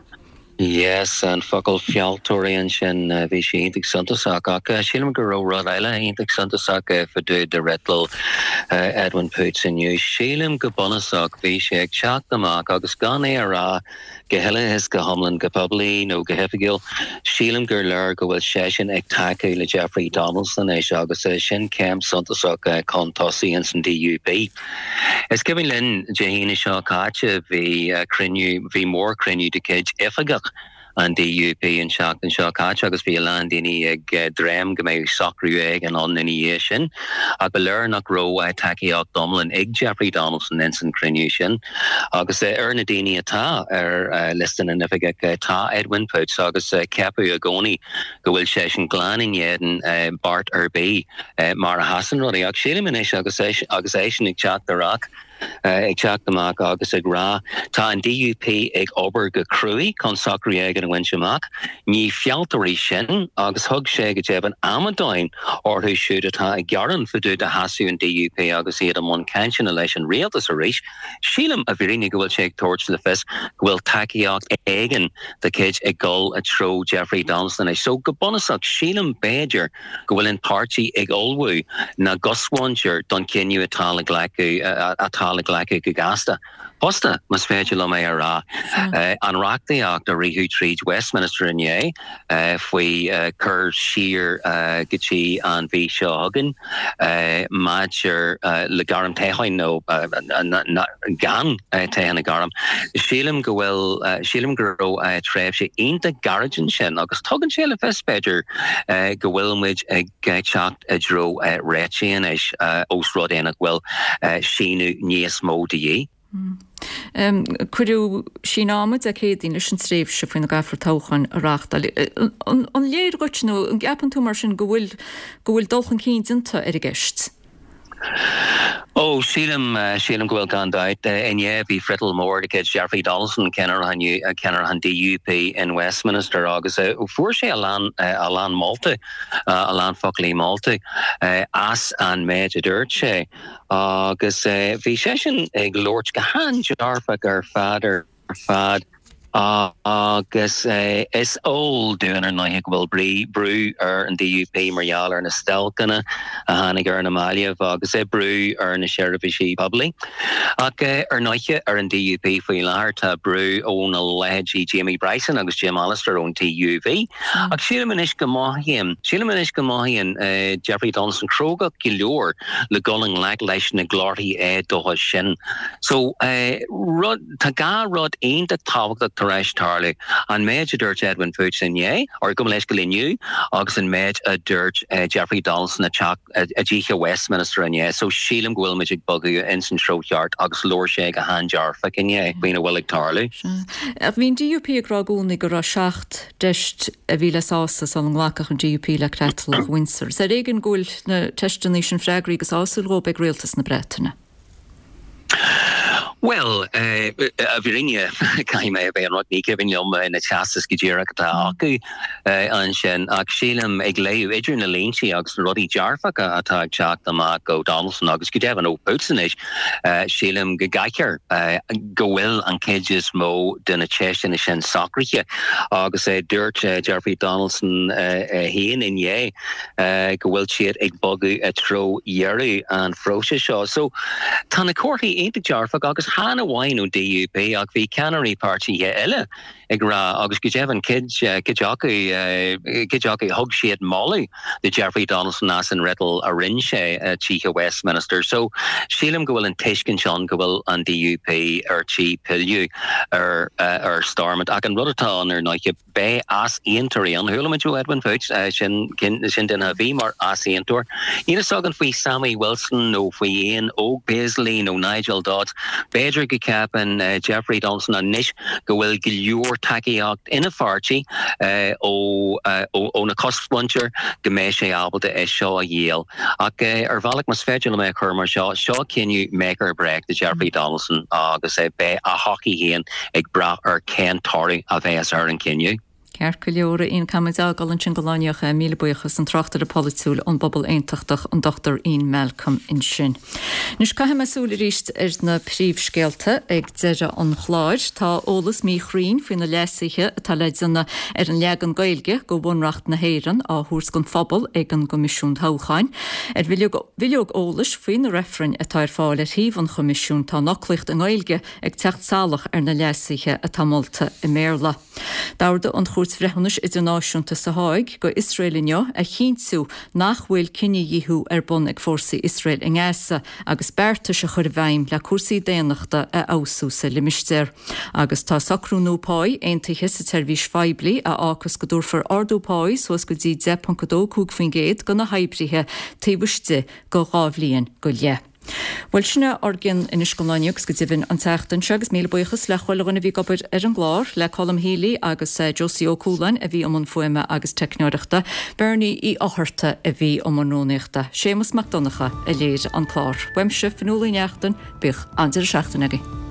R: Yes, an focal fealltóirí ansin, bhí sé iontach suntasach ach sílim go raibh rud eile iontach suntasach fá dtaobh de fhriotal Edwin Poots inniu. Sílim go bunúsach bhí sé ag teacht amach agus gan é a rá go huile is go hiomlán go poiblí nó go hoifigiúil, sílim gur léir go bhfuil seisean ag tacú le Jeffrey Donaldson anois agus sin céim suntasach chun tosaigh ins an D U P. Is cuimhin linn Dé hAoine seo caite bhí cruinniú bhí mórchruinniú de chuid oifigeach an D U P an seachtain seo caite agus bhí a lán daoine ag dréim go mbeidh socrú éigin ann ina dhiaidh sin. Ach ba léir nach raibh tacaíocht iomlán ag Jeffrey Donaldson ins an cruinniú sin. Agus ar na daoine atá ar liosta na n-oifigeach tá Edwin Poots agus ceapadh i gcónaí go bhfuil sé sin glan in éadan beart ar bith mar a sheasann rudaí. Ach sílim anois agus agus é sin ag teacht amach ag teacht amach agus ag rá tá an D U P ag obair go cruaidh chun socrú éigin a bhaint amach. Ní fealltóirí sinn agus thug sé go deimhin amadáin orthu siúd atá ag gearán fá dtaobh de sheasamh an D U P agus iad i mbun cainteanna leis an rialtas arís. Sílim i bhfírinne go bhfuil sé ag tabhairt le fios go bhfuil tacaíocht éigin de chuid ag dul i dtreo Jeffrey Donaldson anois. So go bunúsach sílim b'fhéidir go bhfuil an páirtí ag ullmhú na gcosmhuintir don chinneadh atá le glacadh atá le glacadh go gasta. Fosta más féidir liom é a rá an reachtaíocht a ritheadh tríd Westminster inné faoi cur siar go dtí an mhí seo chugainn maidir le gairm toghcháin nó gan toghchán a ghairm. Sílim go bhfuil sílim go raibh tréimhse iontach gairid ansin agus tugann sé le fios b'fhéidir go bhfuil muid ag teacht i dtreo réitigh anois ós rud é nach bhfuil síneadh níos mó de dhíth.
A: Um, Cuireadh síneadh ama Dé Céadaoin leis an tréimhse faoina gcaithfear toghcháin a reáchtáil. An, an léir dhuit nó an gceapann tú mar sin go bhfuil go bhfuil dul chun cinn déanta ar an gceist?
R: Ó sílim sílim go bhfuil gan dabht inné bhí friotal mór de chuid Jeffrey Donaldson ceannaire ceannaire an D U P in Westminster agus fuair sé a lán a lán molta a lán foclaí molta as an méid a dúirt sé agus bhí seisean ag labhairt go han-dearfach ar fad ar fad agus is eol dúinn ar ndóigh go bhfuil brí brú ar an D U P mar gheall ar na stailceanna a tháinig ar na mallaibh agus é brú ar na seirbhísí poiblí. Ach ar ndóigh ar an D U P faoi láthair tá brú ó na leithéidí Jamie Bryson agus Jim Allister ón T U V. Ach sílim anois go mothaíonn sílim anois go mothaíonn uh, Jeffrey Donaldson cróga go leor le dul i ngleic leis na glórthaí éadóchais sin. So uh, rud tá dhá rud iontach tábhachtach tar éis tarlú an méid a dúirt Edwin Poots inné or gabh mo leithscéal inniu agus an méid a dúirt uh, Jeffrey Donaldson a teach a dtithe Westminster inné, so sílim go bhfuil muid ag bogadh in san treo ceart agus labhair sé go han-dearfach inné faoina bhfuil ag tarlú.
A: Bhí an D U P ag rá i gcónaí go raibh seacht gceist a bhí le sásamh sula nglacfadh an D U P le Creatlach Windsor. Is ar éigean go bhfuil na ceisteanna sin freagraithe go sásúil dóibh ag rialtas na Breataine.
R: Well, i bhfírinne caithfidh mé a bheith ionraic ní cuimhin liom na teastais go díreach atá acu ansin ach sílim ag léamh idir na línte agus na rudaí dearfacha atá ag teacht amach ó Donaldson agus go deimhin ó Poots anois, sílim go gcaithfear go bhfuil an chuid is mó de na ceisteanna sin socraithe agus dúirt Jeffrey Donaldson féin inné go bhfuil siad ag bogadh i dtreo dheireadh an phróisis seo. So tá na comharthaí iontach dearfach agus chan amháin ón DUP ach bhí ceannairí páirtithe eile ag rá agus go deimhin cuid cuid acu cuid acu thug siad moladh do Jeffrey Donaldson as an fhriotal a rinne sé tithe Westminster. So sílim go bhfuil an tuiscint ann go bhfuil an DUP ar tí pilleadh ar ar Stormont ach an rud atá ann ar ndóigh beidh easaontóirí ann. Chuala muid ó Edwin Poots sin sin duine a bhí mar easaontóir. Níl a fhios againn faoi Sammy Wilson nó faoi Ian Óg Paisley nó Nigel Dodds. B'fhéidir go gceapann Jeffrey Donaldson anois go bhfuil go leor tacaíocht ina pháirtí ó ó na cosmhuintir go mbeidh sé ábalta é seo a dhíol. Ach ar bhealach más féidir liom é a chur mar seo, seo cinneadh make or break do Jeffrey Donaldson agus beidh a thodhchaí féin ag brath ar cén toradh a bheas ar an cinneadh.
A: Ceart go leor Ian caithfimid é a fhágáil ansin don lá inniu míle buíochas an tráchtaire polaitiúil ón bpobal aontachtach an Dr Ian Malcolm ansin. Anois caithfidh mé súil arís ar na príomhscéalta ag deireadh an chláir. Tá eolas míchruinn faoi na leasuithe atá le déanamh ar an leagan Gaeilge de Bhunreacht na hÉireann á thabhairt don phobal ag an gCoimisiún Toghcháin. Ar bhileog eolais faoi na reifrinn atá ar fáil ar shuíomh an Choimisiúin tá an fhoclaíocht i nGaeilge ag teacht salach ar na leasuithe atá molta i mBéarla. D'ordaigh an Chúirt Bhreithiúnais Idirnáisiúnta sa Háig go Iosrael inniu a chinntiú nach bhfuil cinedhíothú ar bun ag fórsaí Iosrael i nGaza agus beartais a chur i bhfeidhm le cúrsaí daonnachta a fheabhsú sa limistéar. Agus tá socrú nua páí aontaithe sa tseirbhís phoiblí a fhágfas go dtabharfar ardú páí suas go dtí deich ponc a dó cúig faoin gcéad do na hoibrithe taobh istigh de dhá bhliain go leith. Bhuel sin é ár gcionn anois don lá inniu agus go deimhin an tseachtain seo agus míle buíochas le chuile dhuine a bhí ag obair ar an gclár, le Colm Healy agus Josie Ó Cualáin a bhí i mbun fuaime agus teicneoireachta, Bernie Uí Fhátharta a bhí i mbun rúnaíochta, Séamus Mac Donncha a léirigh an clár. Uaimse, Fionnuala Uí Neachtain, bíodh an-deireadh seachtaine agaibh.